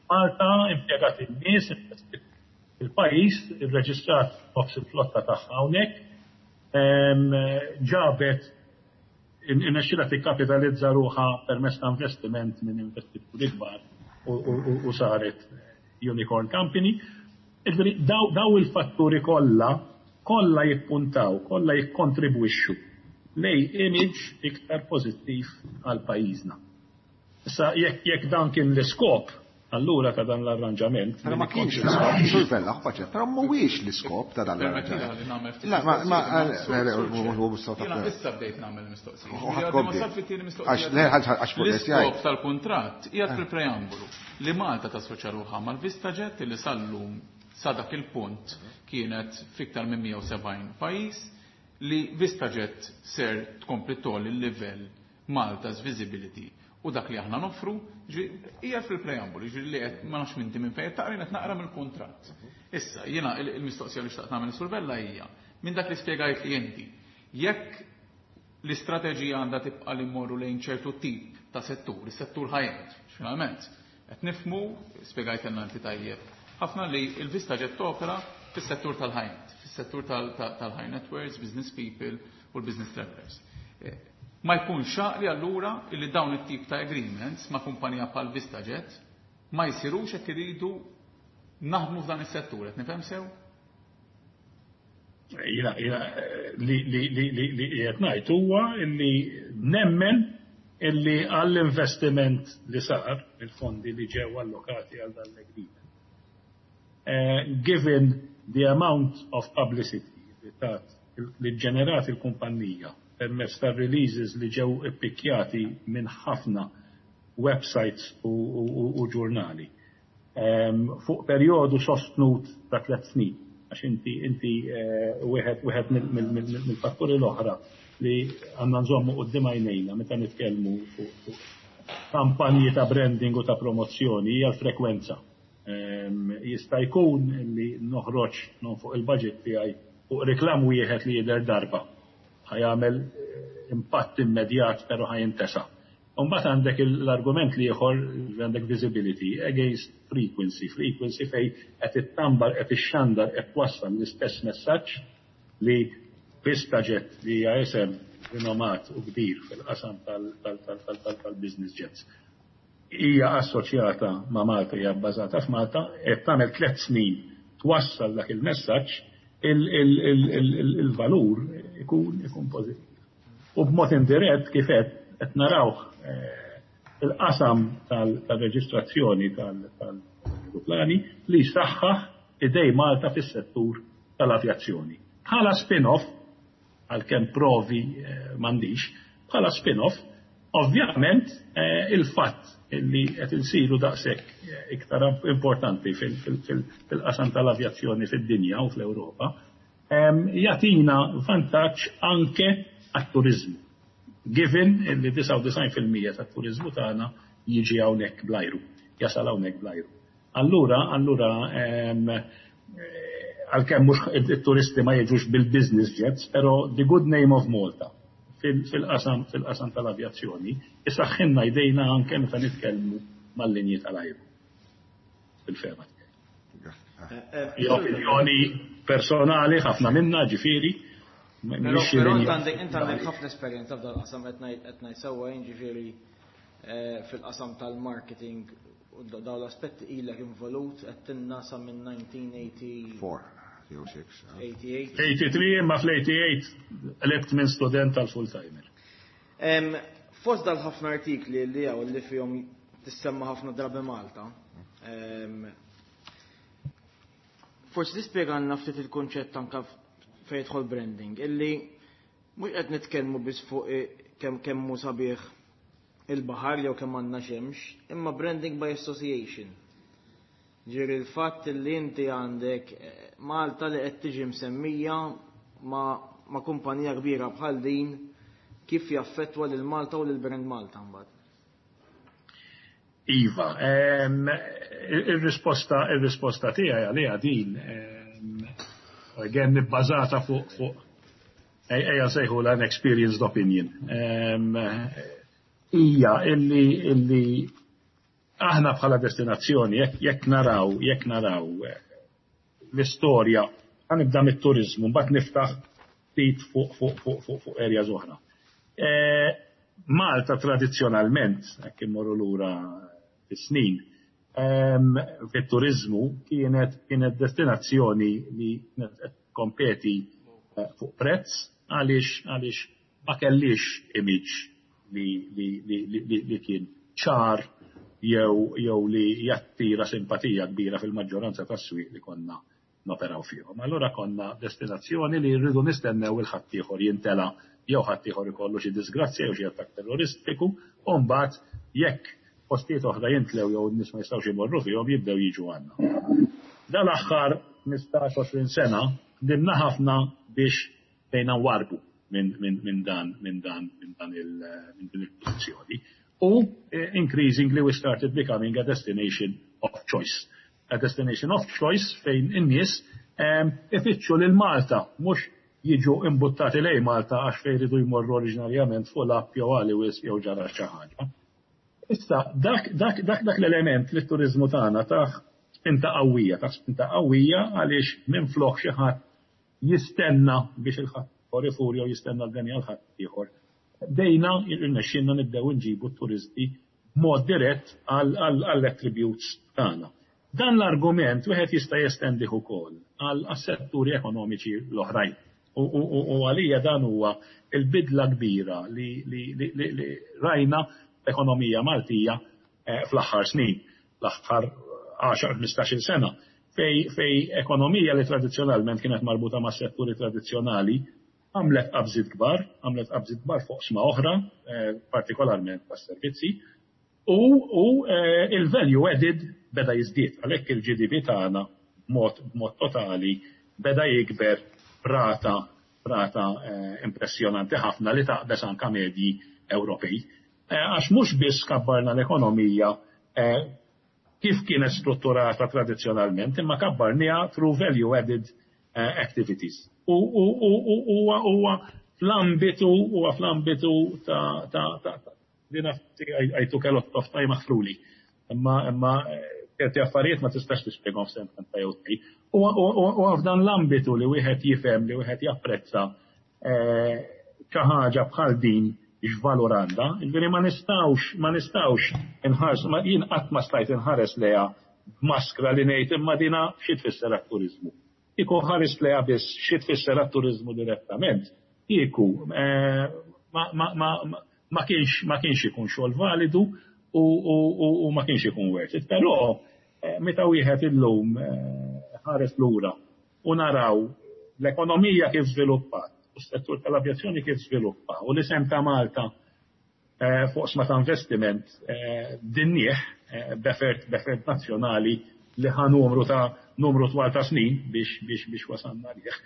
Malta impjegat in-nies, il-pajjiż, irreġistrat nofs il-flotta tagħha hawnhekk, ġabet irnexxielha tikkapitalizza ruħha permezz ta' investiment minn investituri kbar u saret unicorn company. Ġifieri daw il-fatturi kollha kollha jippuntaw, kollha jikkontribwixxu lej image iktar pożittiv għal pajjiżna. Issa jekk dan kien l-iskop, Allura ta' dan l-arranġament. Però ma kienx l-iskop, Sur Vella, ħu però mhuwiex l-iskop ta' dan l-arranġament. La, ma, ma, Jiena issa bdejt nagħmel mistoqsija. Għax le, għax fuq L-iskop tal-kuntratt qiegħed fil-preambolu li Malta tassoċja ruħha mal-VistaJet li sal-lum sa dak il-punt kienet fiktar minn 170 pajjiż, li VistaJet ser tkompli tgħolli l-livell Malta's visibility u dak li aħna noffru, hija fil-preambolu, ġifieri li qed ma nafx minti minn fejn taqra, qed naqra mill-kuntratt. Issa, jiena il-mistoqsija li xtaqt nagħmel Sur Vella hija, minn dak li spjegajt li inti, jekk l-istrateġija għandha tibqa' li mmorru lejn ċertu tip ta' settur, is-settur high-end, finalment, qed nifhmu, spjegajtilna inti tajjeb, ħafna li l-VistaJet topera fis-settur tal-high-end, fis-settur tal-high net worths, business people u l-business travelers. Ma jkunx għaqli allura illi dawn it-tip ta' agreements ma' kumpanija bħal VistaJet ma jsirux jekk iridu naħdmu f'dan is-settur, qed nifhem sew? Jiena li li li li li qed ngħid huwa li nemmen illi għall-investiment li sar, il-fondi li ġew allokati għal dan l-agreement, given the amount of publicity li tat li ġenerat il-kumpanija permezz ta' releases li ġew ippikjati minn ħafna websites u ġurnali fuq perjodu sostnut ta' 3 snin. Għax inti wieħed mill-fatturi l-oħra li għandna nżommu quddiem għajnejna meta nitkellmu fuq kampanji ta' branding u ta' promozzjoni hija l-frekwenza. Jista' jkun li noħroġ non fuq il-budget tiegħi fuq reklam wieħed li jidher darba. Ħa jagħmel impatt immedjat, però ħa jintesa. Mbagħad għandek l-argument li ieħor, għandek visibility against frequency, frequency fej qed ittambar, qed ixxandar, qed twassal l-istess messaġġ li VistaJet, li hija isem rinomat u kbir fil-qasam tal-business jets, hija assoċjata ma' Malta, hija bbażata f'Malta, qed tagħmel 3 snin twassal dak il-messaġġ, il-valur ikun pożittiv. U b'mod indirett, kif qed narawh il-qasam tal-reġistrazzjoni tal-aeroplani li saħħaħ idej Malta fis-settur tal-avjazzjoni. Bħala spin-off, għalkemm provi m'għandix, bħala spin-off, ovvjament il-fatt li qed insiru daqshekk iktar importanti fil-qasam tal-avjazzjoni fid-dinja u fl-Ewropa, jagħtina vantaġġ anke għat-turizmu. Given li 99% tat-turizmu tagħna jiġi hawnhekk blajru, jasal hawnhekk blajru. Allura, għalkemm mhux it-turisti ma jiġux bil-business jets, però the good name of Malta fil-qasam tal-avjazzjoni isaħħinna jdejna anke meta nitkellmu mal-linji tal-ajru. Fil-fehma tiegħi. Hija opinjoni personali ħafna minna, ġifieri. Però int għandek ħafna esperjenza f'dal qasam, qed ngħid sewwa, ġifieri fil-qasam tal-marketing u dawn l-aspetti ilek involut qed tinnasa minn 1980. 4 jew 6. 88. 83, ma fl-88 qlibt minn student tal-full-timer. Fost dal-ħafna artikli li għaw li fihom tissemma ħafna drabi Malta, forsi tispjegalna ftit il-konċett anka fejn jidħol branding, illi mhux qed nitkellmu biss fuq kemm hu sabiħ il-baħar jew kemm għandna xemx, imma branding by association. Ġifieri il-fatt li inti għandek Malta li qed tiġi msemmija ma' kumpanija kbira bħal din, kif jaffettwa lil Malta u lil brand Malta mbagħad. Iva, il-risposta tiegħi għaliha din, again, bbażata fuq ejja sejħu l experienced opinion. Hija illi aħna bħala destinazzjoni, jekk naraw l-istorja, ħa nibda mit-turizmu, mbagħad niftaħ ftit fuq areas oħra. Malta tradizzjonalment, jekk immorru lura fis-snin, fit-turizmu kienet destinazzjoni li kienet qed kompeti fuq prezz għaliex ma kellix image li kien ċar. jew li jattira simpatija kbira fil-maġġoranza tas-swieq li konna noperaw fihom. Allura konna destinazzjoni li rridu nistennew il ħaddieħor jintela jew ħaddieħor ikollu xi disgrazzja jew xi attakk terroristiku, u mbagħad jekk postijiet oħra jintlew jew n-nies ma jistgħux imorru fihom, jibdew jiġu għandna. Dal-aħħar 15-20 sena ħdimna ħafna biex bdejna nwarrbu minn dan minn dan minn dan il minn din il-pożizzjoni. U increasingly we started becoming a destination of choice. A destination of choice fejn in-nies ifittxu lil Malta, mhux jiġu imbuttati lejn Malta għax fejn iridu jmorru oriġinarjament fuq l-app jew għali wisq jew ġara xi ħaġa. Issa, dak, dak, dak, dak l-element li t-turiżmu tagħna tah spinta qawwija, tah spinta qawwija għaliex minflok xi ħadd jistenna biex il-ħaddieħor ifur jew jistenna l-beni għal ħaddieħor, bdejna irnexxielna nibdew inġibu t-turisti b'mod dirett għall-attributes tagħna. Dan l-argument wieħed jista' jestendih ukoll għas-setturi ekonomiċi l-oħrajn. U għalija dan huwa l-bidla kbira li rajna fl-ekonomija Maltija fl-aħħar snin, l-aħħar 10-15-il sena, fejn ekonomija li tradizzjonalment kienet marbuta ma' setturi tradizzjonali għamlet qabżiet kbar, għamlet qabżiet kbar f'oqsma oħra, partikolarment tas-servizzi, u il-value added beda jiżdied, għalhekk il-GDP tagħna b'mod totali beda jikber b'rata impressjonanti ħafna li taqbeż anke medji Ewropej. Għax mhux biss kabbarna l-ekonomija kif kienet strutturata tradizzjonalment, imma kabbarniha through value added activities. U huwa fl-ambitu ta' din I took a lot of time, aħfruli. Imma ċerti affarijiet ma tistax tispjegahom f'sentenza jew tnejn. U f'dan l-ambitu li wieħed jifhem, li wieħed japprezza xi ħaġa bħal din x'valur għandha. Jiġifieri ma nistgħux inħarsu, jien qatt ma stajt inħares lejha b'maskra li ngħid imma dina xi tfisser għat-turiżmu. Kieku ħarist lejha biss xi tfisser għat-turiżmu direttament, kieku ma kienx ikun xogħol validu u ma kienx ikun worth it. Però meta wieħed illum ħares lura u naraw l-ekonomija kif żviluppat, u s-settur tal-avjazzjoni kif żviluppa, u l-isem ta' Malta fuq oqsma ta' investiment dinnih b'effort nazzjonali li ħa numru twal ta' snin biex wasalna għalih.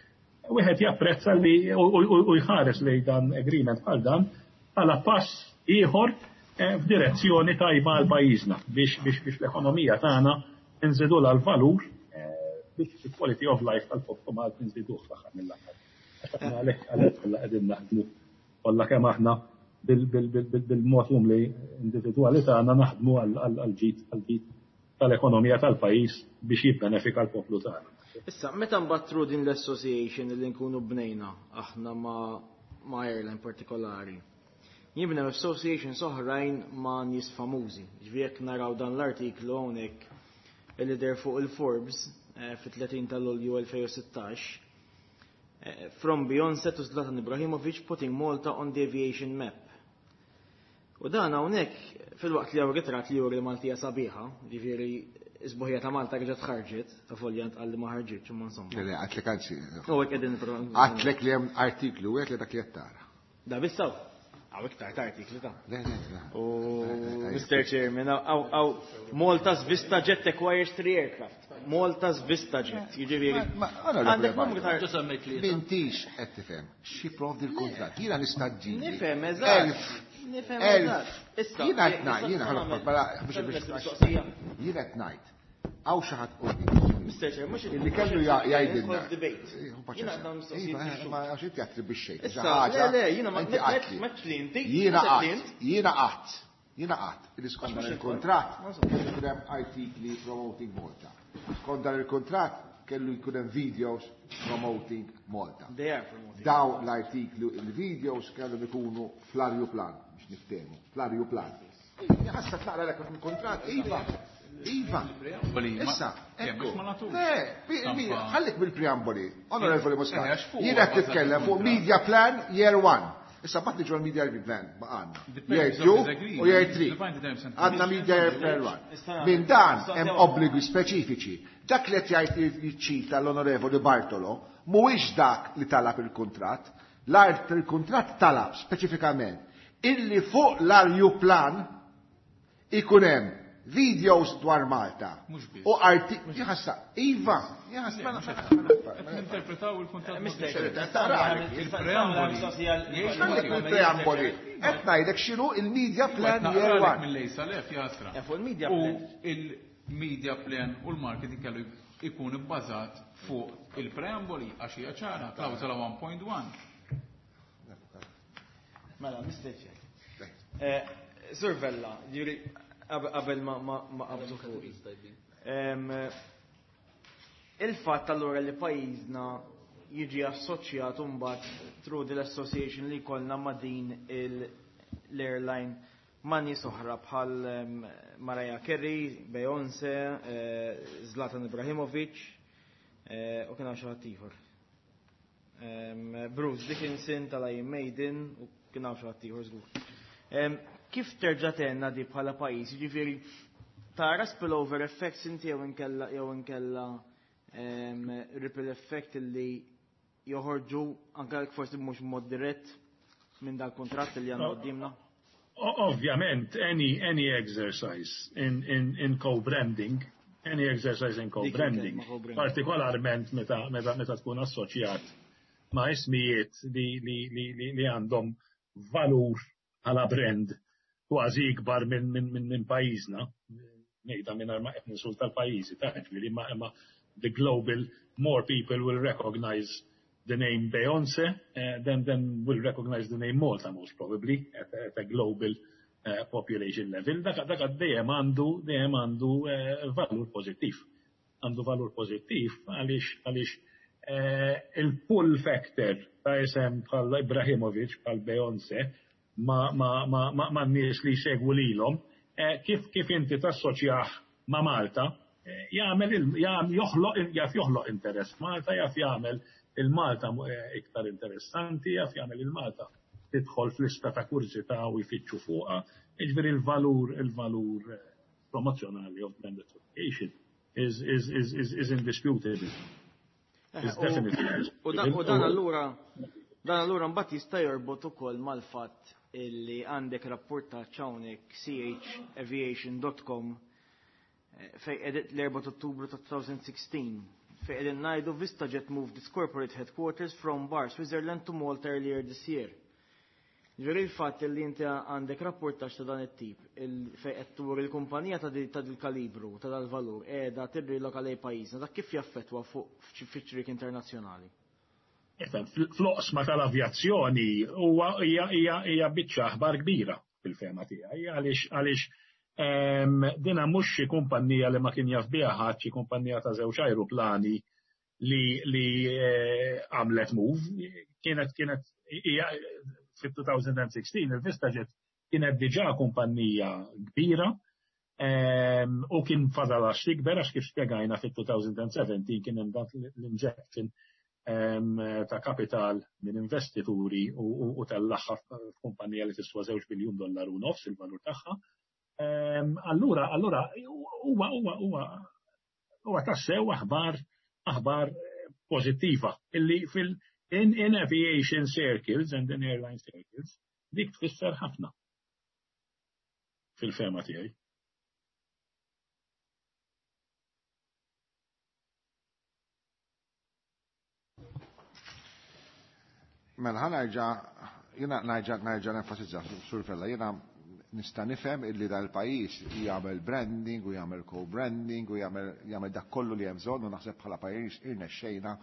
Wieħed japprezza li u jħares li dan agreement bħal dan bħala pass ieħor f'direzzjoni tajba għal pajjiżna biex l-ekonomija tagħna nżidu l-valur, biex il-quality of life tal-poplu Malti nżiduh fl-aħħar mill-aħħar. Għalhekk kollha qegħdin naħdmu, kollha kemm aħna bil-mod umli individwali tagħna naħdmu għal-ġid tal-ekonomija tal-pajjiż biex jibbenefika l-poplu tagħna. Issa, meta nbattru din l-association li nkunu bnejna aħna ma' airline partikolari, jibnew associations oħrajn ma' nies famużi. Ġifieri jekk naraw dan l-artiklu hawnhekk li deher fuq il-Forbes fit-30 ta' Lulju 2016, "From Beyoncé to Zlatan Ibrahimovic putting Malta on the aviation map". U dan hawnhekk filwaqt li hawn ritratt li juri Maltija sabiħa, ġifieri is-sbuħija ta' Malta reġgħet ħarġet, ta' folja ntqal li ma ħarġitx, imma insomma. Le, għedtlek anzi. U hekk qegħdin Għedtlek li hemm artiklu wieħed li dak li qed tara. Da bissaw. Hawn iktar ta' artikli ta' Le, le, le. U Mr. Chairman, hawn Malta's Vista Jet acquires three aircraft. Malta's Vista Jet, jiġifieri. Għandek numru ta' M'intix qed tifhem x'jipprovdi l-kuntratt. Jiena nista' ġġib. Nifhem, eżatt. Nifhem, eżatt. Issa, jiena qed ngħid, jiena ħalaq mela biex jiena qed ngħid. Hawn xi ħadd quddiem. Mr. Chair, mhux Illi kellu jgħidilna. debate. Jiena għandna mistoqsijiet. Ma għax inti attribwixxejt. Issa, le, jiena ma li inti. Jiena qatt, jiena qatt, jiena qatt, li skont dan il-kuntratt kellu jkun hemm artikli promoting Malta. Skont dan il-kuntratt kellu jkun hemm videos promoting Malta. They are promoting. Daw l-artikli, il-videos kellhom ikunu fl-arjuplan, biex niftehmu, fl-arjuplan. Ħassa tlaqra l il-kuntratt, iva. Iva. Issa, ekku. Le, ħallik bil-preamboli. Onorevoli Muscat, jiena qed titkellem fuq media plan year one. Issa mbagħad niġu għall-media plan baqgħalna. Year 2 u year 3. Għandna media year plan 1. Minn dan hemm obbligi speċifiċi. Dak li qed jgħid jiċċita l-Onorevoli Bartolo mhuwiex dak li talab il-kuntratt. L-art il-kuntratt talab speċifikament illi fuq l-ajruplan ikun hemm videos dwar Malta. U arti, jħassa, Iva, jħassa, Interpretaw il-kuntratt. Il-preamboli. Il-preamboli. Qed ngħidlek x'inhu il-media plan year one. Mill-lejsa lef jasra. Fuq il-media U il-media plan u l-marketing kellu ikun ibbażat fuq il-preamboli għax hija ċara, klawżola 1.1. Mela, Mr. Chair. Sur Vella, ġiri, qabel ma qabżu fuqi. Il-fatt allura li pajjiżna jiġi assoċjat mbagħad through the association li jkollna ma' din l-airline ma' nies oħra bħal Mariah Carey, Beyoncé, Zlatan Ibrahimovic, u kien hawn xi ħadd ieħor. Bruce Dickinson tal-Iron Maiden u kien hawn xi ħadd ieħor żgur. Kif terġa' tenna di bħala pajjiż? Jiġifieri tara spillover effects inti jew inkella ripple effect li joħorġu anke forsi mhux mod dirett minn dal-kontratt li għandna quddiemna? Ovvjament, any exercise in co-branding, any exercise in co-branding, partikolarment meta tkun assoċjat ma' ismijiet li għandhom valur għala brand kważi ikbar minn pajjiżna, ngħidha minn ma qed ninsulta l-pajjiżi, ta' ġifieri ma the global, more people will recognize the name Beyonce than will recognize the name Malta most probably at a global population level. Dak dejjem għandu valur pozittiv. Għandu valur pozittiv għaliex il-pull factor ta' isem bħal Ibrahimovic, bħal Beyoncé, ma nies li jsegwu lilhom, kif inti tassoċjah ma' Malta, jagħmel joħloq jaf joħloq interess. Malta jaf jagħmel il-Malta iktar interessanti, jaf jagħmel il-Malta tidħol fl-lista ta' kurżità u jfittxu fuqha, jiġifieri il-valur promozzjonali of brand association is indisputable. Is definitely U dan allura mbagħad jista' jorbot ukoll mal-fatt illi għandek rapportaġġ hawnhekk chaviation.com fej edit l-4 Ottubru ta' 2016 fej qegħdin ngħidu VistaJet moved its corporate headquarters from Bar, Switzerland to Malta earlier this year. Ġifieri il-fatt li inti għandek rapportaġġ ta' dan it-tip fej qed tur il-kumpanija ta' dil-kalibru, ta' dal-valur, qiegħda tirriloka lejn pajjiżna, dak kif jaffettwa fuq fiċ internazzjonali? Fl-oqsma tal-avjazzjoni huwa hija biċċa aħbar kbira fil-fehma tiegħi għaliex dina mhux xi kumpanija li ma kien jaf biha ħadd, xi kumpanija ta' żewġ ajruplani li għamlet move, kienet hija fit-2016 il-VistaJet kienet diġà kumpanija kbira u kien fadal għax tikber għax kif spjegajna fit-2017 kien hemm dak l-injection ta' kapital minn investituri u tal-aħħar kumpanija li tiswa 2.5 biljun dollaru il-valur tagħha. Allura huwa tassew aħbar pożittiva illi fil in aviation circles and in airline circles dik tfisser ħafna fil-fehma tiegħi. Mela ħa nerġa' jiena nerġa' nenfasizza, Sur Vella, jiena nista' nifhem illi dal-pajjiż jagħmel branding u jagħmel co-branding u jagħmel dak kollu li hemm bżonn u naħseb bħala pajjiż irnexxejna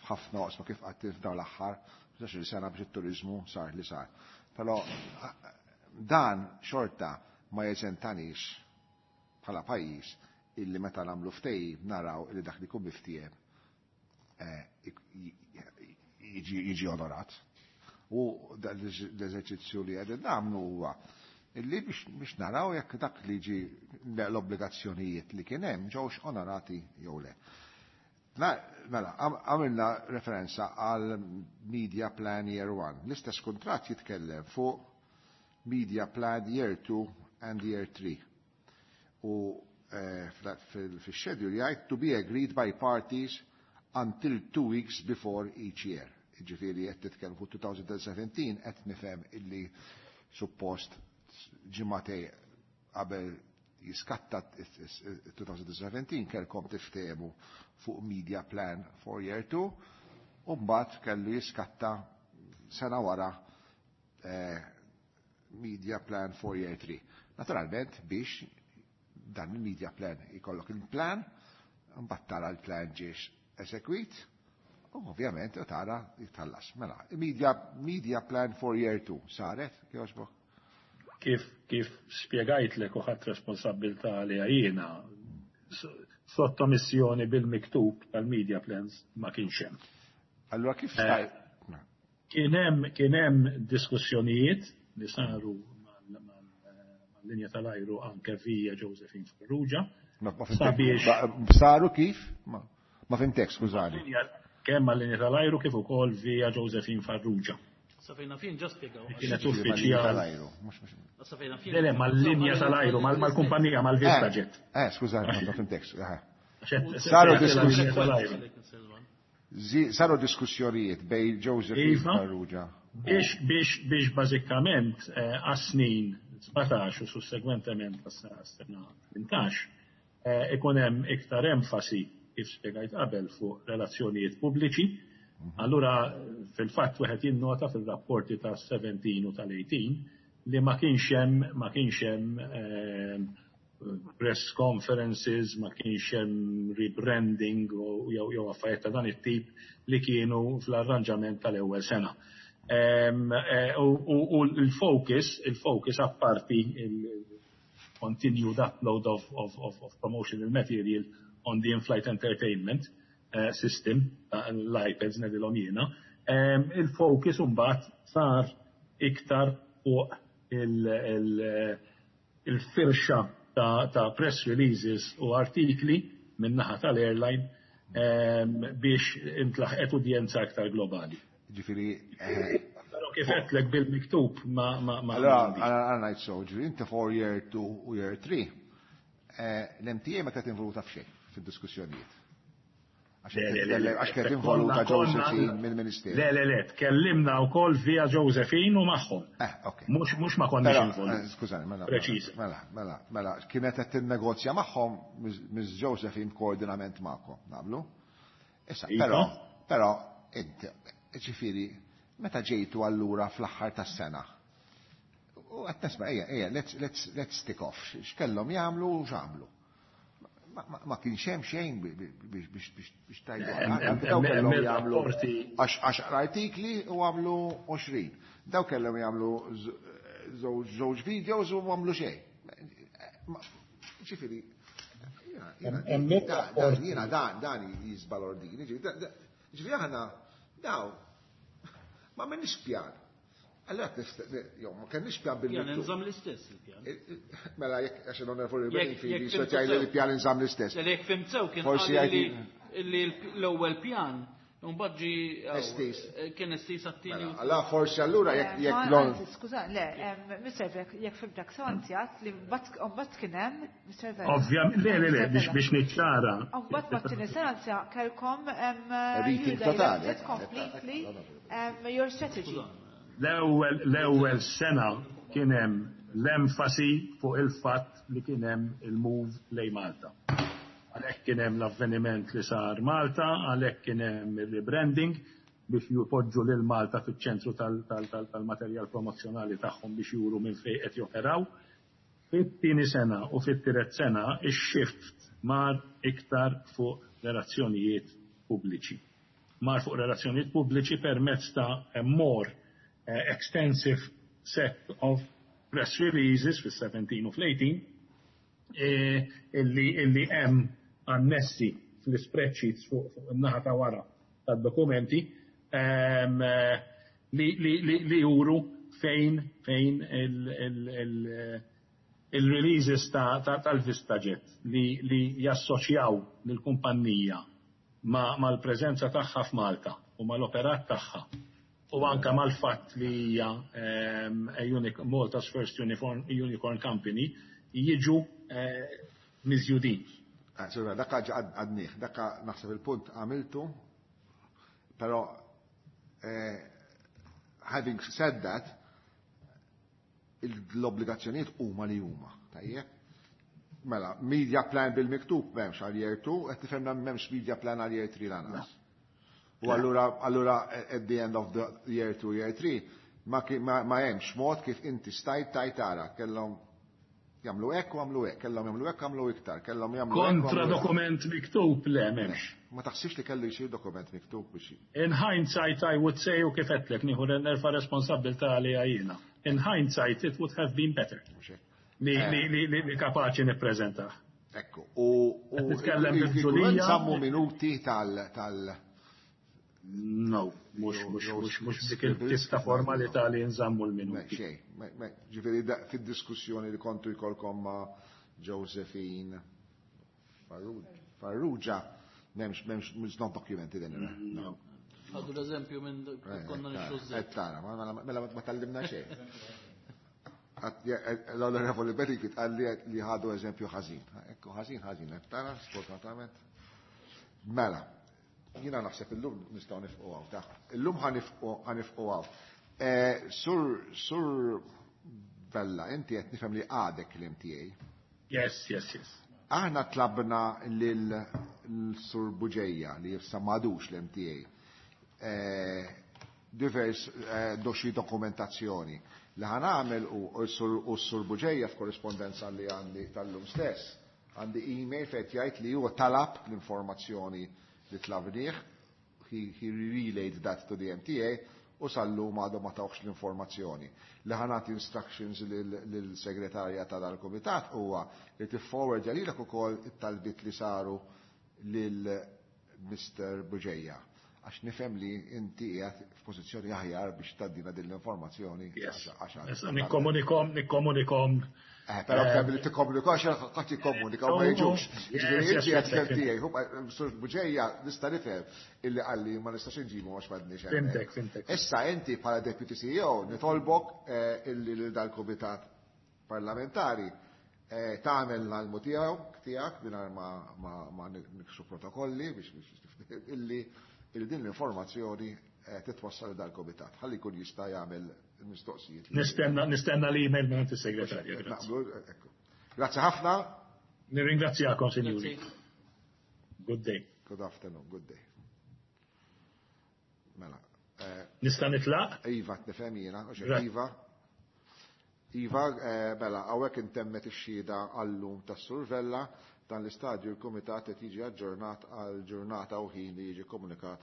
f'ħafna oqsma kif qatt f'dawn l-aħħar 15 sena biex it-turiżmu sar li sar. Però dan xorta ma jeżentanix bħala pajjiż illi meta nagħmlu ftehim naraw illi dak li jkun miftiehem jiġi onorat. U l-eżerċizzju li qegħdin nagħmlu huwa illi biex naraw jekk dak li ġi l-obbligazzjonijiet li kien hemm ġewx onorati jew le. Mela, għamilna referenza għal Media Plan Year 1. L-istess kuntratt jitkellem fuq Media Plan Year 2 and Year 3. U fil-schedule jgħid to be agreed by parties until 2 weeks before each year. Ġifieri qed titkellem fuq 2017, qed nifhem illi suppost ġimagħtejn qabel jiskatta 2017 kellkom tiftehmu fuq media plan for year 2 u mbagħad kellu jiskatta sena wara media plan for year 3. Naturalment, biex dan il-media plan ikollok il-plan, mbagħad tara l-plan ġiex eżegwit, u ovvjament tara jitħallas. Mela, media plan for year 2 saret, kjoġbok? Kif spjegajtlek u ħadt responsabbiltà li jiena sottomissjoni bil-miktub tal-media plans ma kienx hemm. Allora kif staj? Kien hemm diskussjonijiet li saru mal-linja tal-ajru anke via Josephine Farrugia. Ma fhimtek. Saru kif? Ma fhimtek, skużani. Kemm mal-linja tal-ajru kif ukoll via Josephine Farrugia. Sa fejn naf jien ġa spjegaw. Kienet uffiċjal. Sa fejn naf jien. Le, mal-linja tal-ajru, mal-kumpanija, mal-Vista Jet. Skużani, ma fhimtek. Saru diskussjonijiet bejn Josephine Farrugia. Biex bażikament għas-snin 17 u sussegwentement għas-sena 18 ikun hemm iktar enfasi, kif spjegajt qabel, fuq relazzjonijiet pubbliċi. Allura fil-fatt wieħed jinnota fil-rapporti ta' 17 u tal-18 li ma kienx hemm press conferences, ma kienx hemm rebranding u jew affarijiet ta' dan it-tip li kienu fl-arranġament tal-ewwel sena. U l-focus apparti il-continued upload of promotional material on the in-flight entertainment system, l-iPads ngħidilhom jiena, il-focus mbagħad sar iktar fuq il-firxa ta' press releases u artikli min-naħa tal-airline biex intlaħqet udjenza aktar globali. Ġifieri, Però kif għedtlek, bil-miktub ma Allora, għana ngħid so, ġifieri, inti for year 2 u year 3, l-MTA ma kienet involuta f'xejn fid-diskussjonijiet. Għax Le, le, le, le. Għax kienet involuta Josephine mill-Ministeru. Le, le, le, tkellimna wkoll via Josephine u magħhom. Ok. Mhux ma konniex Però, involuti. Skużani, mela. Preċiż. Mela, kienet qed tinnegozja magħhom Miss Josephine koordinament magħkom, naqblu? Issa, Iva. però, inti, ġifieri, meta ġejtu allura fl-aħħar tas-sena, u qed nisma' ejja, ejja, let's tick off, x'kellhom jagħmlu u x'għamlu. Ma kienx hemm xejn biex tajdu. Daw kellhom Hemm jagħmlu rapporti. 10 artikli u għamlu 20. Daw kellhom jagħmlu żewġ videos u għamlu xejn. Ġifieri, jiena dan jiżbalordini, ġifieri aħna daw ma m'għandniex pjan. Allora, jew ma kenniex pjan Pjan bil-miktub. inżamm l-istess il-pjan. Mela, jekk għax l-onorevoli Beninfi Jekk li fhimt jgħid li sew. l-pjan inżamm l-istess. Le, jekk fhimt sew kien Forsi qal li l-ewwel pjan mbagħad ġi Estiż. Kien estiż għat-tieni. Mela, allora forsi allura jekk Ma, anzi, skuża, le, Mr. Vek, jekk fhimtek sew, anzi għat li mbagħad kien hemm, Mr. Vek. Ovvjament, le, le, le, biex niċċara. Mbagħad mat-tieni sena anzi kellkom Rethink you totali, directed completely your strategy. L-ewwel sena kien hemm l-enfasi fuq il-fatt li kien hemm il-move lejn Malta. Għalhekk kien hemm l-avveniment li sar Malta, għalhekk kien hemm il-rebranding biex jupoġġu lil Malta fiċ-ċentru tal-materjal promozzjonali tagħhom biex juru minn fejn qed joperaw. Fit-tieni sena u fit-tielet sena ix-shift mar iktar fuq relazzjonijiet pubbliċi. Mar fuq relazzjonijiet pubbliċi permezz ta' a more extensive set of press releases fis-17 u fl-18 illi hemm annessi fl-spreadsheets fuq in-naħa ta' wara tad-dokumenti li juru fejn il-releases tal-VistaJet li jassoċjaw lill-kumpanija. Mal-preżenza tagħha f'Malta u mal-operat tagħha u anka mal-fatt li hija Malta's first unicorn company jiġu miżjudin. Dakka għadnieh, dakka naħseb il-punt għamiltu, però having said that, l-obbligazzjonijiet huma li huma, tajjeb? Mela, media plan bil-miktub m'hemmx għal year 2, qed tifhemna m'hemmx media plan għal year 3 lanqas. U allura at the end of the year 2, year 3, ma hemmx mod kif inti stajt tajt tara kellhom jagħmlu hekk u għamlu hekk, kellhom jagħmlu hekk għamlu iktar, kellhom jagħmlu hekk. Kontra dokument miktub le m'hemmx. Ma taħsibx li kellu jsir dokument miktub biex. In hindsight I would say, u kif għedtlek, nieħu nerfa' responsabbiltà għalija jiena. In hindsight it would have been better. Li kapaċi nippreżentah. Ekku, u nitkellem bil-ġulija. Sammu minuti tal No, mhux dik il-tista formalità li nżammu l-minuti. Xejn, ġifieri fid-diskussjoni li kontu jkollkom ma' Josephine Farrugia, m'hemmx, it's not documented anywhere. No. Għadu l-eżempju minn konna nixtru ż. Tara, mela ma tallimna xejn. L-Onorevoli Beriki tqalli li ħadu eżempju ħażin. Ekku, ħażin, ħażin, tara, sfortunatament. Mela, jiena naħseb illum nistgħu nifqu hawn, ta' illum ħa nifqu hawn. Sur Vella, inti qed nifhem li għadek l-MTA. Yes. Aħna tlabna lil Sur Buġeja li issa m'għadux l-MTA. Divers doxi dokumentazzjoni. Li ħa nagħmel u s-Sur Buġeja f'korrispondenza li għandi tal-lum stess, għandi email fejn jgħid li huwa talab l-informazzjoni li tlabnieh, he relayed that to the MTA, u sal-lum għadhom ma tawx l-informazzjoni. Li ħa nagħti instructions lill-segretarja ta' dal-komitat huwa li tifforwardja lilek ukoll it-talbiet li saru lil Mr. Buġeja. Għax nifhem li inti qiegħed f'pożizzjoni aħjar biex tgħaddina din l-informazzjoni. Nikkomunikom. Però kemm li tikkomunika għax qatt jikkomunika u ma jiġux. Ġifieri inti qed kemm tiegħi, Sur Buġeja nista' nifhem illi qalli ma nistax inġibu għax m'għandniex hemmhekk. Fimtek, fimtek. Issa inti bħala Deputy CEO nitolbok illi lil dal-Kumitat Parlamentari tagħmel l-almu tiegħek mingħajr ma nikxu protokolli biex illi din l-informazzjoni titwassal dal-komitat. Ħalli jkun jista' jagħmel il-mistoqsijiet. Nistenna l-email minn is-segretarju. Grazzi ħafna. Nirringrazzjakom, sinjuri. Good day. Good afternoon, good day. Mela. Nista' nitlaq? Iva, nifhem jiena, Iva. Iva, mela, hawnhekk intemmet ix-xhieda għallum tas-Sur Vella, dan l-istadju l-Kumitat qed jiġi aġġornat għal ġurnata u ħin li jiġi komunikat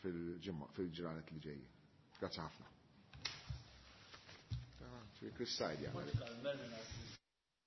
fil-ġranet li ġejjin. Grazzi ħafna. Chris Said jagħmel.